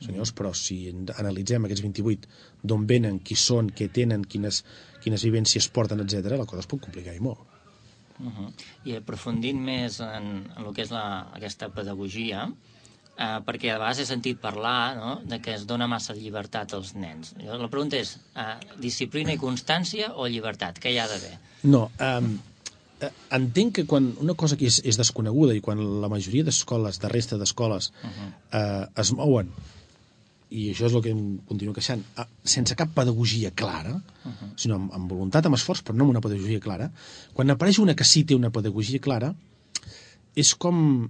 Speaker 3: Senyors, però si analitzem aquests 28, d'on venen, qui són, què tenen, quines vivències porten, etc., la cosa es pot complicar i molt.
Speaker 1: I aprofundint més en el que és aquesta pedagogia, perquè a vegades he sentit parlar, no?, de que es dona massa llibertat als nens. La pregunta és, disciplina i constància o llibertat? Què hi ha d'haver?
Speaker 3: No, entenc que quan una cosa que és desconeguda i quan la majoria d'escoles, de resta d'escoles, es mouen, i això és el que em continuo queixant, sense cap pedagogia clara, sinó amb voluntat, amb esforç, però no amb una pedagogia clara, quan apareix una que sí té una pedagogia clara, és com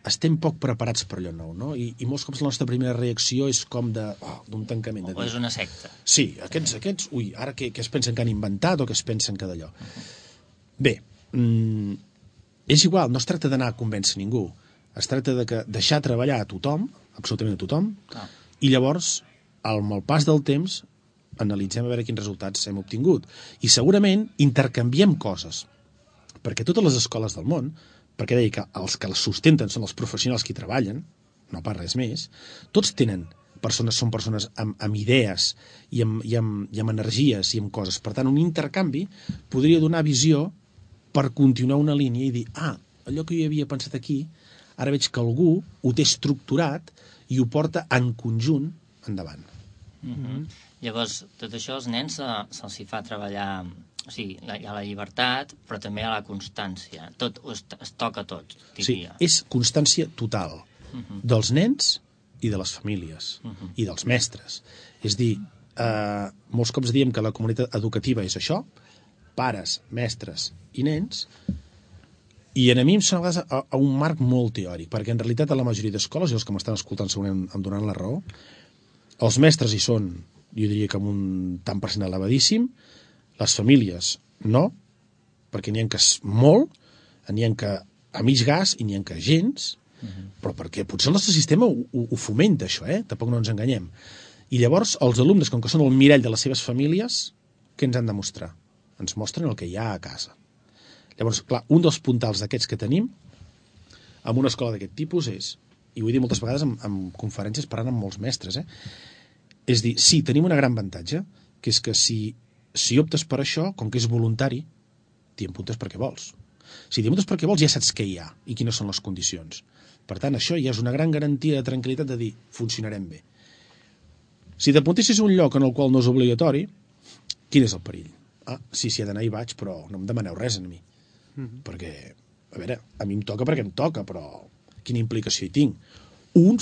Speaker 3: estem poc preparats per allò nou, no? I molts cops la nostra primera reacció és com d'un tancament.
Speaker 1: O és una secta.
Speaker 3: Sí, aquests, ara què es pensen que han inventat o què es pensen que d'allò? Bé, és igual, no es tracta d'anar a convèncer ningú, es tracta de deixar treballar a tothom, absolutament a tothom, i llavors, amb el pas del temps, analitzem a veure quins resultats hem obtingut. I segurament intercanviem coses, perquè totes les escoles del món, perquè deia que els que les sustenten són els professionals que hi treballen, no pas res més, tots són persones amb idees i amb energies i amb coses. Per tant, un intercanvi podria donar visió per continuar una línia i dir, allò que jo havia pensat aquí, ara veig que algú ho té estructurat i ho porta en conjunt endavant.
Speaker 1: Llavors, tot això als nens se'ls hi fa treballar, o sigui, hi ha la llibertat, però també hi ha la constància. Tot es toca tot, diria.
Speaker 3: Sí, és constància total dels nens i de les famílies i dels mestres. És dir, molts cops diem que la comunitat educativa és això, pares, mestres i nens, i a mi em sembla a un marc molt teòric, perquè en realitat a la majoria d'escoles, i els que m'estan escoltant segurament em donaran la raó, els mestres hi són, jo diria que amb un tant per cent elevadíssim, les famílies no, perquè n'hi ha que és molt, n'hi ha que a mig gas i n'hi ha que gens, però perquè potser el nostre sistema ho fomenta, això, tampoc no ens enganyem. I llavors els alumnes, com que són el mirall de les seves famílies, què ens han de mostrar? Ens mostren el que hi ha a casa. Llavors, clar, un dels puntals d'aquests que tenim en una escola d'aquest tipus és, i ho he dit moltes vegades en conferències parlant amb molts mestres, és dir, sí, tenim una gran avantatge, que és que si optes per això, com que és voluntari, t'hi apuntes perquè vols. Si t'hi apuntes perquè vols, ja saps què hi ha i quines són les condicions. Per tant, això ja és una gran garantia de tranquil·litat de dir, funcionarem bé. Si t'apuntessis a un lloc en el qual no és obligatori, quin és el perill? Sí, si he d'anar hi vaig, però no em demaneu res a mi. Perquè a veure, a mi em toca perquè em toca, però quina implicació hi tinc?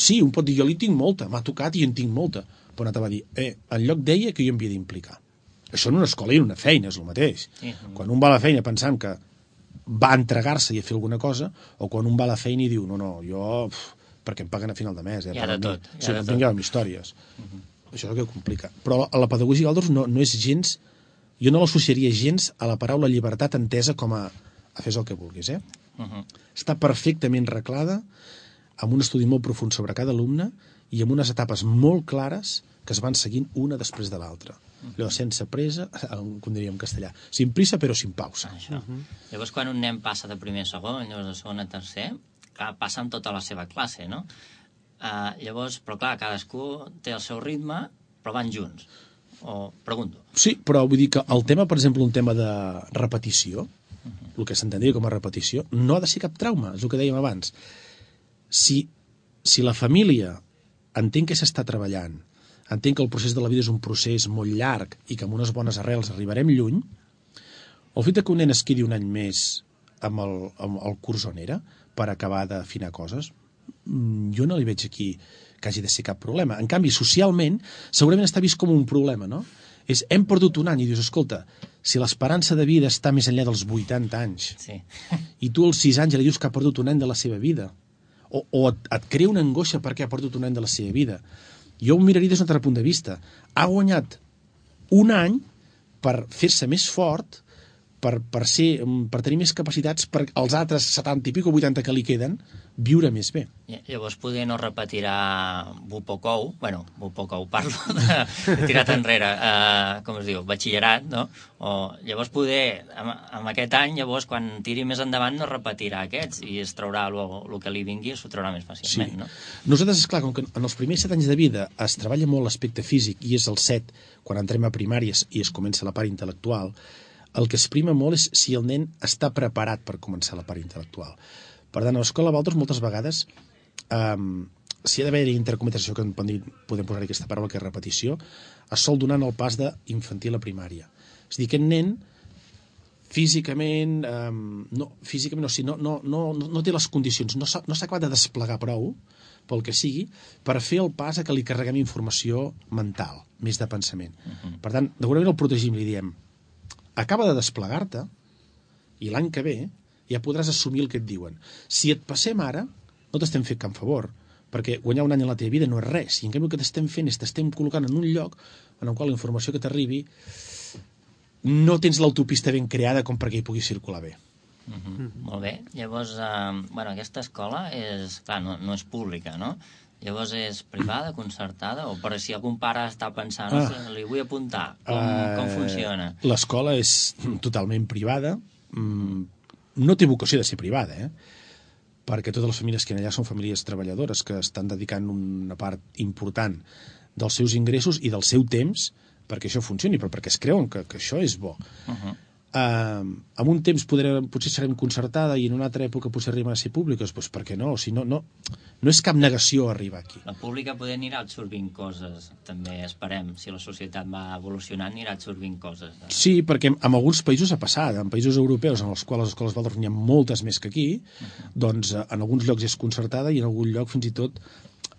Speaker 3: Sí, un pot dir, jo li tinc molta, m'ha tocat i en tinc molta, però un altre va dir, en lloc deia que jo em havia d'implicar. Això en una escola i en una feina és el mateix. Sí. Quan un va a la feina pensant que va entregar-se i a fer alguna cosa, o quan un va a la feina i diu, no, jo, perquè em paguen a final de mes.
Speaker 1: Hi ha de tot.
Speaker 3: Sí, no tinc històries. Això és el que complica. Però a la pedagogia Waldorf no és gens... Jo no l'associaria gens a la paraula llibertat entesa com a fes el que vulguis, Està perfectament reglada, amb un estudi molt profund sobre cada alumne i amb unes etapes molt clares que es van seguint una després de l'altra. Allò sense pressa, com diríem en castellà, sin prisa però sin pausa.
Speaker 1: Això. Llavors, quan un nen passa de primer a segon, llavors de segon a tercer, clar, passa amb tota la seva classe, no? Llavors, però clar, cadascú té el seu ritme, però van junts. O pregunto.
Speaker 3: Sí, però vull dir que el tema, per exemple, un tema de repetició, el que s'entendria com a repetició, no ha de ser cap trauma, és el que dèiem abans. Si la família entén que s'està treballant, entén que el procés de la vida és un procés molt llarg i que amb unes bones arrels arribarem lluny, el fet que un nen es quedi un any més amb el curs on era per acabar d'afinar coses, jo no li veig aquí que hagi de ser cap problema. En canvi, socialment, segurament està vist com un problema, no? Hem perdut un any i dius, escolta, si l'esperança de vida està més enllà dels 80 anys i tu als 6 anys li dius que ha perdut un any de la seva vida o et crea una angoixa perquè ha perdut un any de la seva vida, jo ho miraria des d'un altre punt de vista. Ha guanyat un any per fer-se més fort, per tenir més capacitats, per als altres 70 i pico, 80 que li queden, viure més bé.
Speaker 1: Llavors poder no repetirà Bupocou, parlo de tirat enrere, com es diu, batxillerat, no? O llavors poder, amb aquest any, llavors, quan tiri més endavant, no repetirà aquests i es traurà el que li vingui, s'ho traurà més fàcilment, no?
Speaker 3: Nosaltres, esclar, com que en els primers 7 anys de vida es treballa molt l'aspecte físic i és el 7, quan entrem a primàries i es comença la part intel·lectual, el que es prima molt és si el nen està preparat per començar la part intel·lectual. Per tant, a l'escola Waldorf moltes vegades si ha d'haver intercomunicació, que podem posar aquesta paraula que és repetició, es sol donar en el pas d'infantil a primària. És a dir, aquest nen físicament no té les condicions, no s'ha acabat de desplegar prou pel que sigui, per fer el pas a que li carreguem informació mental, més de pensament. Per tant, d'alguna manera el protegim, li diem acaba de desplegar-te i l'any que ve ja podràs assumir el que et diuen. Si et passem ara, no t'estem fent cap favor, perquè guanyar un any en la teva vida no és res, i en canvi el que t'estem fent és t'estem col·locant en un lloc en el qual la informació que t'arribi no tens l'autopista ben creada com perquè hi pugui circular bé.
Speaker 1: Molt bé. Llavors, aquesta escola no és pública, no? Llavors és privada, concertada, o per si algun pare està pensant li vull apuntar, com funciona?
Speaker 3: L'escola és totalment privada, no té vocació de ser privada, perquè totes les famílies que hi ha allà són famílies treballadores que estan dedicant una part important dels seus ingressos i del seu temps perquè això funcioni, però perquè es creuen que això és bo. En un temps potser serem concertada i en una altra època potser arribem a ser públiques, doncs per què no? O sigui, no és cap negació arribar aquí.
Speaker 1: La pública poder anirà absorbint coses, també esperem, si la societat va evolucionant anirà absorbint coses.
Speaker 3: Sí, perquè en alguns països ha passat, en països europeus en els quals les escoles Waldorf n'hi ha moltes més que aquí, doncs en alguns llocs és concertada i en algun lloc fins i tot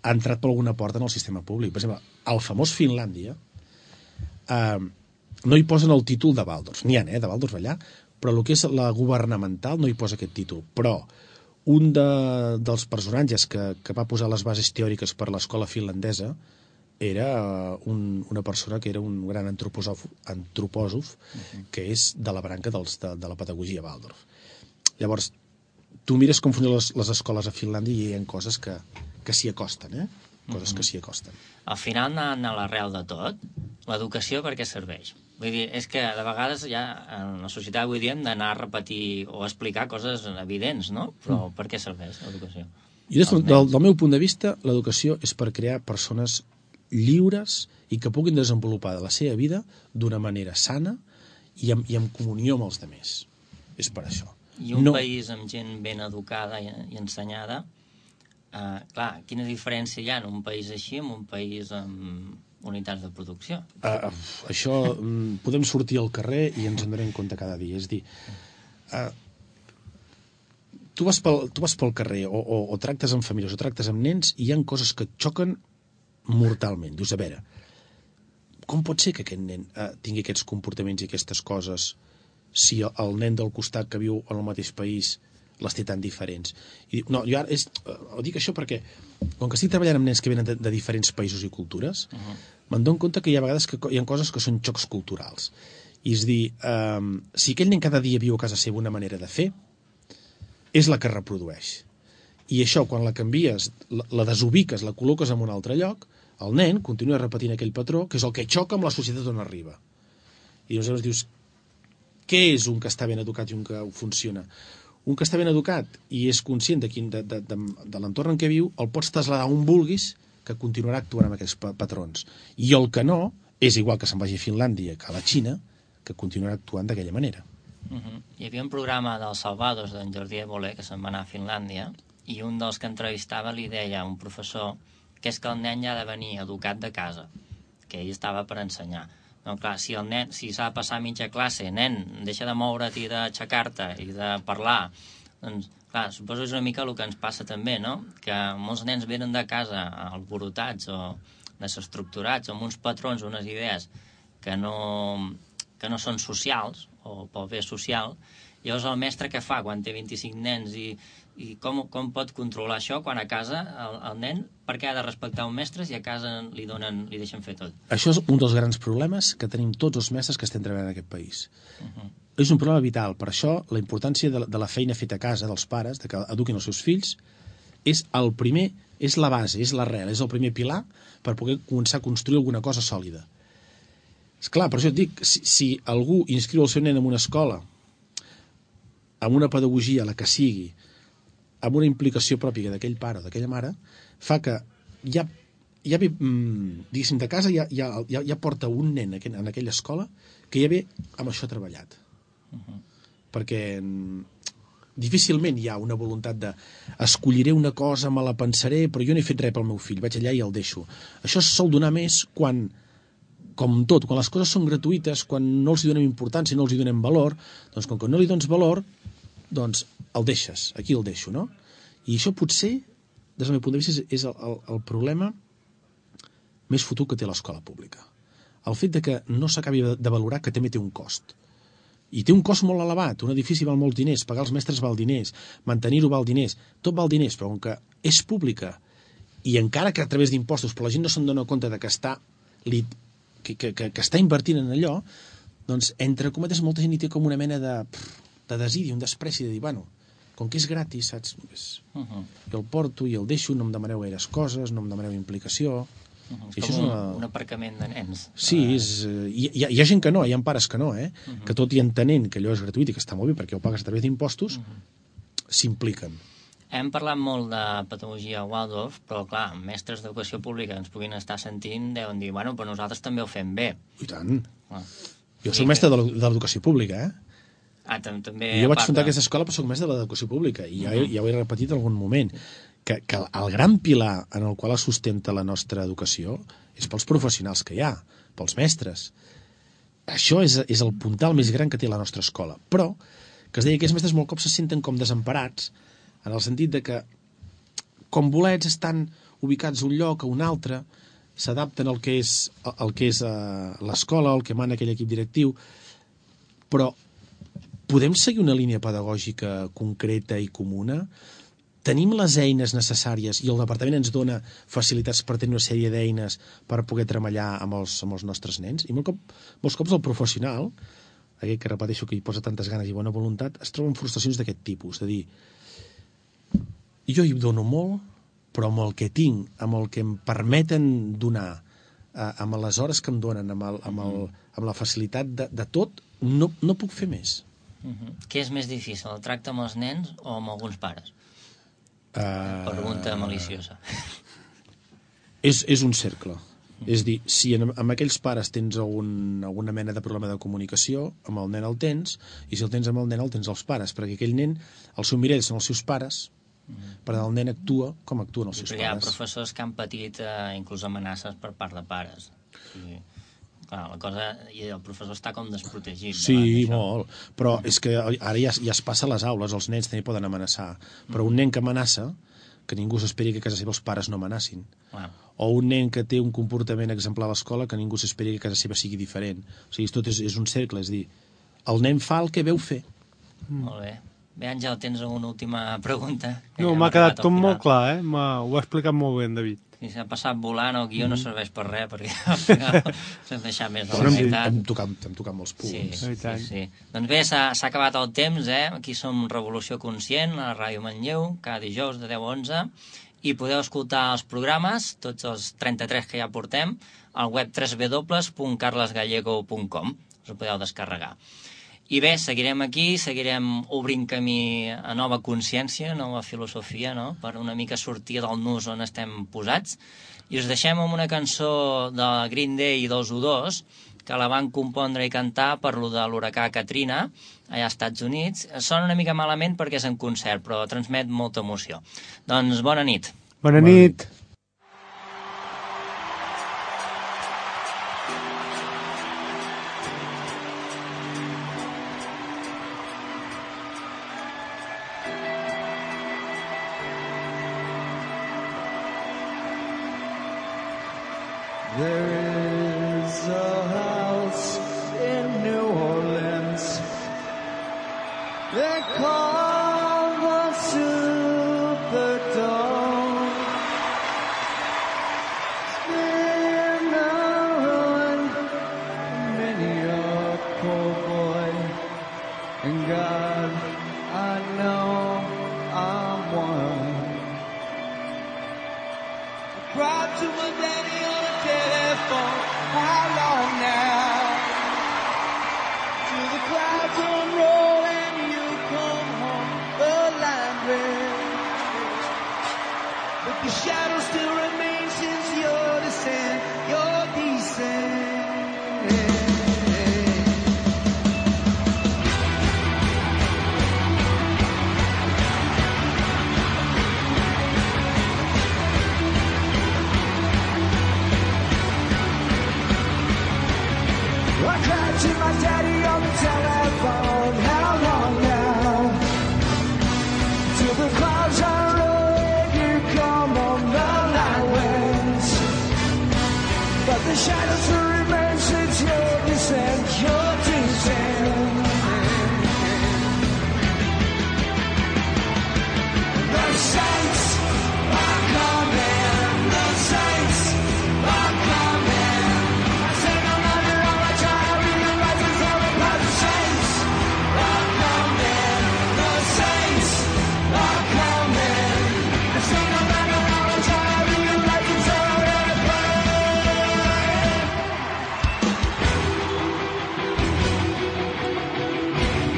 Speaker 3: ha entrat per alguna porta en el sistema públic. Per exemple, al famós Finlàndia no hi posen el títol de Waldorf, n'hi ha, de Waldorf allà, però el que és la governamental no hi posa aquest títol. Però un dels personatges que va posar les bases teòriques per l'escola finlandesa era una persona que era un gran antropòsof que és de la branca de la pedagogia Waldorf. Llavors, tu mires com funcionen les escoles a Finlàndia i hi ha coses que s'hi acosten, coses que s'hi acosten.
Speaker 1: Al final, anant a l'arrel de tot, l'educació per què serveix? Vull dir, és que de vegades ja en la societat avui dia hem d'anar a repetir o explicar coses evidents, no? Però per què serveix l'educació?
Speaker 3: Del meu punt de vista, l'educació és per crear persones lliures i que puguin desenvolupar la seva vida d'una manera sana i en comunió amb els altres. És per això.
Speaker 1: I un país amb gent ben educada i ensenyada, clar, quina diferència hi ha en un país així amb un país amb unitats de producció?
Speaker 3: Això podem sortir al carrer i ens en donem compte cada dia. És dir, tu vas pel carrer o tractes amb famílies o tractes amb nens i hi ha coses que et xoquen mortalment. Dius, a veure, com pot ser que aquest nen tingui aquests comportaments i aquestes coses si el nen del costat que viu en el mateix país les té tan diferents? I no, jo ara dic això perquè, com que estic treballant amb nens que venen de diferents països i cultures, me'n dono compte que hi ha vegades que hi ha coses que són xocs culturals. I és dir, si aquell nen cada dia viu a casa seva una manera de fer, és la que reprodueix. I això, quan la canvies, la desubiques, la col·loques en un altre lloc, el nen continua repetint aquell patró, que és el que xoca amb la societat on arriba. I llavors dius, què és un que està ben educat i un que funciona? Un que està ben educat i és conscient de l'entorn en què viu, el pots traslladar on vulguis, que continuarà actuant amb aquests patrons. I el que no, és igual que se'n vagi a Finlàndia que a la Xina, que continuarà actuant d'aquella manera.
Speaker 1: Hi havia un programa dels Salvados d'en Jordi Évole que se'n va anar a Finlàndia i un dels que entrevistava li deia a un professor que és que el nen ja ha de venir educat de casa, que ell estava per ensenyar. Doncs clar, si el nen, si s'ha de passar mitja classe, nen, deixa de moure't i d'aixecar-te i de parlar, doncs clar, suposo que és una mica el que ens passa també, no? Que molts nens venen de casa alborotats o desestructurats, amb uns patrons, unes idees que no són socials, o pel bé social. Llavors el mestre què fa quan té 25 nens i com pot controlar això quan a casa el nen, per què ha de respectar un mestre si a casa li deixen fer tot?
Speaker 3: Això és un dels grans problemes que tenim tots els mestres que estem treballant en aquest país. És un problema vital. Per això la importància de la feina feta a casa dels pares, de que eduquin els seus fills, és el primer, és la base, és l'arrel, és el primer pilar per poder començar a construir alguna cosa sòlida. Esclar, per això et dic, si algú inscriu el seu nen en una escola amb una pedagogia, la que sigui, amb una implicació pròpia d'aquell pare o d'aquella mare, fa que ja ve, diguéssim, de casa ja porta un nen en aquella escola que ja ve amb això treballat. Perquè difícilment hi ha una voluntat de escolliré una cosa, me la pensaré, però jo no he fet res pel meu fill, vaig allà i el deixo. Això es sol donar més quan, com tot, quan les coses són gratuïtes, quan no els hi donem importància, no els hi donem valor, doncs com que no li dones valor, doncs el deixes, aquí el deixo, no? I això potser, des del meu punt de vista, és el problema més fotut que té l'escola pública. El fet de que no s'acabi de valorar que també té un cost. I té un cost molt elevat, un edifici val molts diners, pagar els mestres val diners, mantenir-ho val diners, tot val diners, però com que és pública, i encara que a través d'impostos, però la gent no se'n dona compte de que està invertint en allò, doncs, entre cometes, molta gent hi té com una mena de desidi, un despreci de dir, bueno, com que és gratis, saps? Jo el porto i el deixo, no em demaneu gaires coses, no em demaneu implicació.
Speaker 1: És com un aparcament de nens.
Speaker 3: Sí, hi ha gent que no, hi ha pares que no, que tot i entenent que allò és gratuït i que està molt bé perquè ho pagues a través d'impostos, s'impliquen.
Speaker 1: Hem parlat molt de pedagogia Waldorf, però clar, mestres d'educació pública ens puguin estar sentint, deuen dir, bueno, però nosaltres també ho fem bé.
Speaker 3: I tant. Jo soc mestre de l'educació pública,
Speaker 1: també.
Speaker 3: Jo vaig fundar aquesta escola, però soc mestre de l'educació pública, i ja ho he repetit en algun moment, que el gran pilar en el qual es sustenta la nostra educació és pels professionals que hi ha, pels mestres. Això és el puntal més gran que té la nostra escola. Però, que es deia que aquests mestres molt cops se senten com desemparats, en el sentit de que, com bolets, estan ubicats a un lloc, a un altre, s'adapten al que és l'escola, el que mana aquell equip directiu, però podem seguir una línia pedagògica concreta i comuna? Tenim les eines necessàries i el departament ens dona facilitats per tenir una sèrie d'eines per poder treballar amb els nostres nens? I molts cops el professional, aquell que repeteixo que hi posa tantes ganes i bona voluntat, es troba en frustracions d'aquest tipus, de dir, jo hi dono molt, però amb el que tinc, amb el que em permeten donar, amb les hores que em donen, amb la facilitat de tot, no puc fer més.
Speaker 1: Què és més difícil, el tracte amb els nens o amb alguns pares? Pregunta maliciosa.
Speaker 3: És un cercle. És dir, si amb aquells pares tens alguna mena de problema de comunicació, amb el nen el tens, i si el tens amb el nen el tens als pares, perquè aquell nen, el seu mirall són els seus pares, per tant el nen actua com actuen els seus pares.
Speaker 1: Hi ha professors que han patit inclús amenaces per part de pares. clar, la cosa... I el professor està com desprotegit.
Speaker 3: Sí, molt. Però és que ara ja es passa a les aules, els nens també poden amenaçar. Però un nen que amenaça, que ningú s'esperi que a casa seva els pares no amenacin. O un nen que té un comportament exemplar a l'escola, que ningú s'esperi que a casa seva sigui diferent. O sigui, tot és un cercle, és dir, el nen fa el que veu fer.
Speaker 1: Molt bé. Bé, Àngel, tens una última pregunta?
Speaker 2: No, m'ha quedat tot molt clar, ho ha explicat molt bé en David.
Speaker 1: Si s'ha passat volant, el guió no serveix per res, perquè al final s'hem deixat més de la meitat.
Speaker 3: Hem tocat molts punts.
Speaker 1: Sí. Doncs bé, s'ha acabat el temps, Aquí som Revolució Conscient, a la Ràdio Manlleu, cada dijous de 10 a 11, i podeu escoltar els programes, tots els 33 que ja portem, al web www.carlesgallego.com. Us ho podeu descarregar. I bé, seguirem aquí, seguirem obrint camí a nova consciència, nova filosofia, no? Per una mica sortir del nus on estem posats. I us deixem amb una cançó de Green Day i dels U2, que la van compondre i cantar per lo de l'huracà Katrina, allà als Estats Units. Sona una mica malament perquè és en concert, però transmet molta emoció. Doncs bona nit.
Speaker 2: Bona nit.
Speaker 4: There is a house in New Orleans they call the Superdome. It's been a ruin, many a poor boy, and God, I know I'm one. I cried to my daddy on the telephone, how long now? Till the clouds unroll and you come home, the line red. But the shadow still remains since your descent, your descent. I cried to my daddy on the telephone, how long now? Till the clouds are rolling, you come on the night winds. But the shadows will remain since your descent, your descent. The saints are coming, the saints are coming. I say no matter how much I realize it's all about the saints are coming, the saints are coming. I say no matter how much I realize it's all about.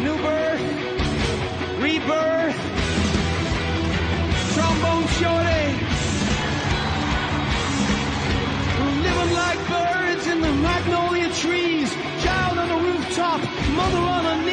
Speaker 4: New birth, rebirth, trombone shorty, living like birds in the magnolia trees, child on the rooftop, mother on her knee.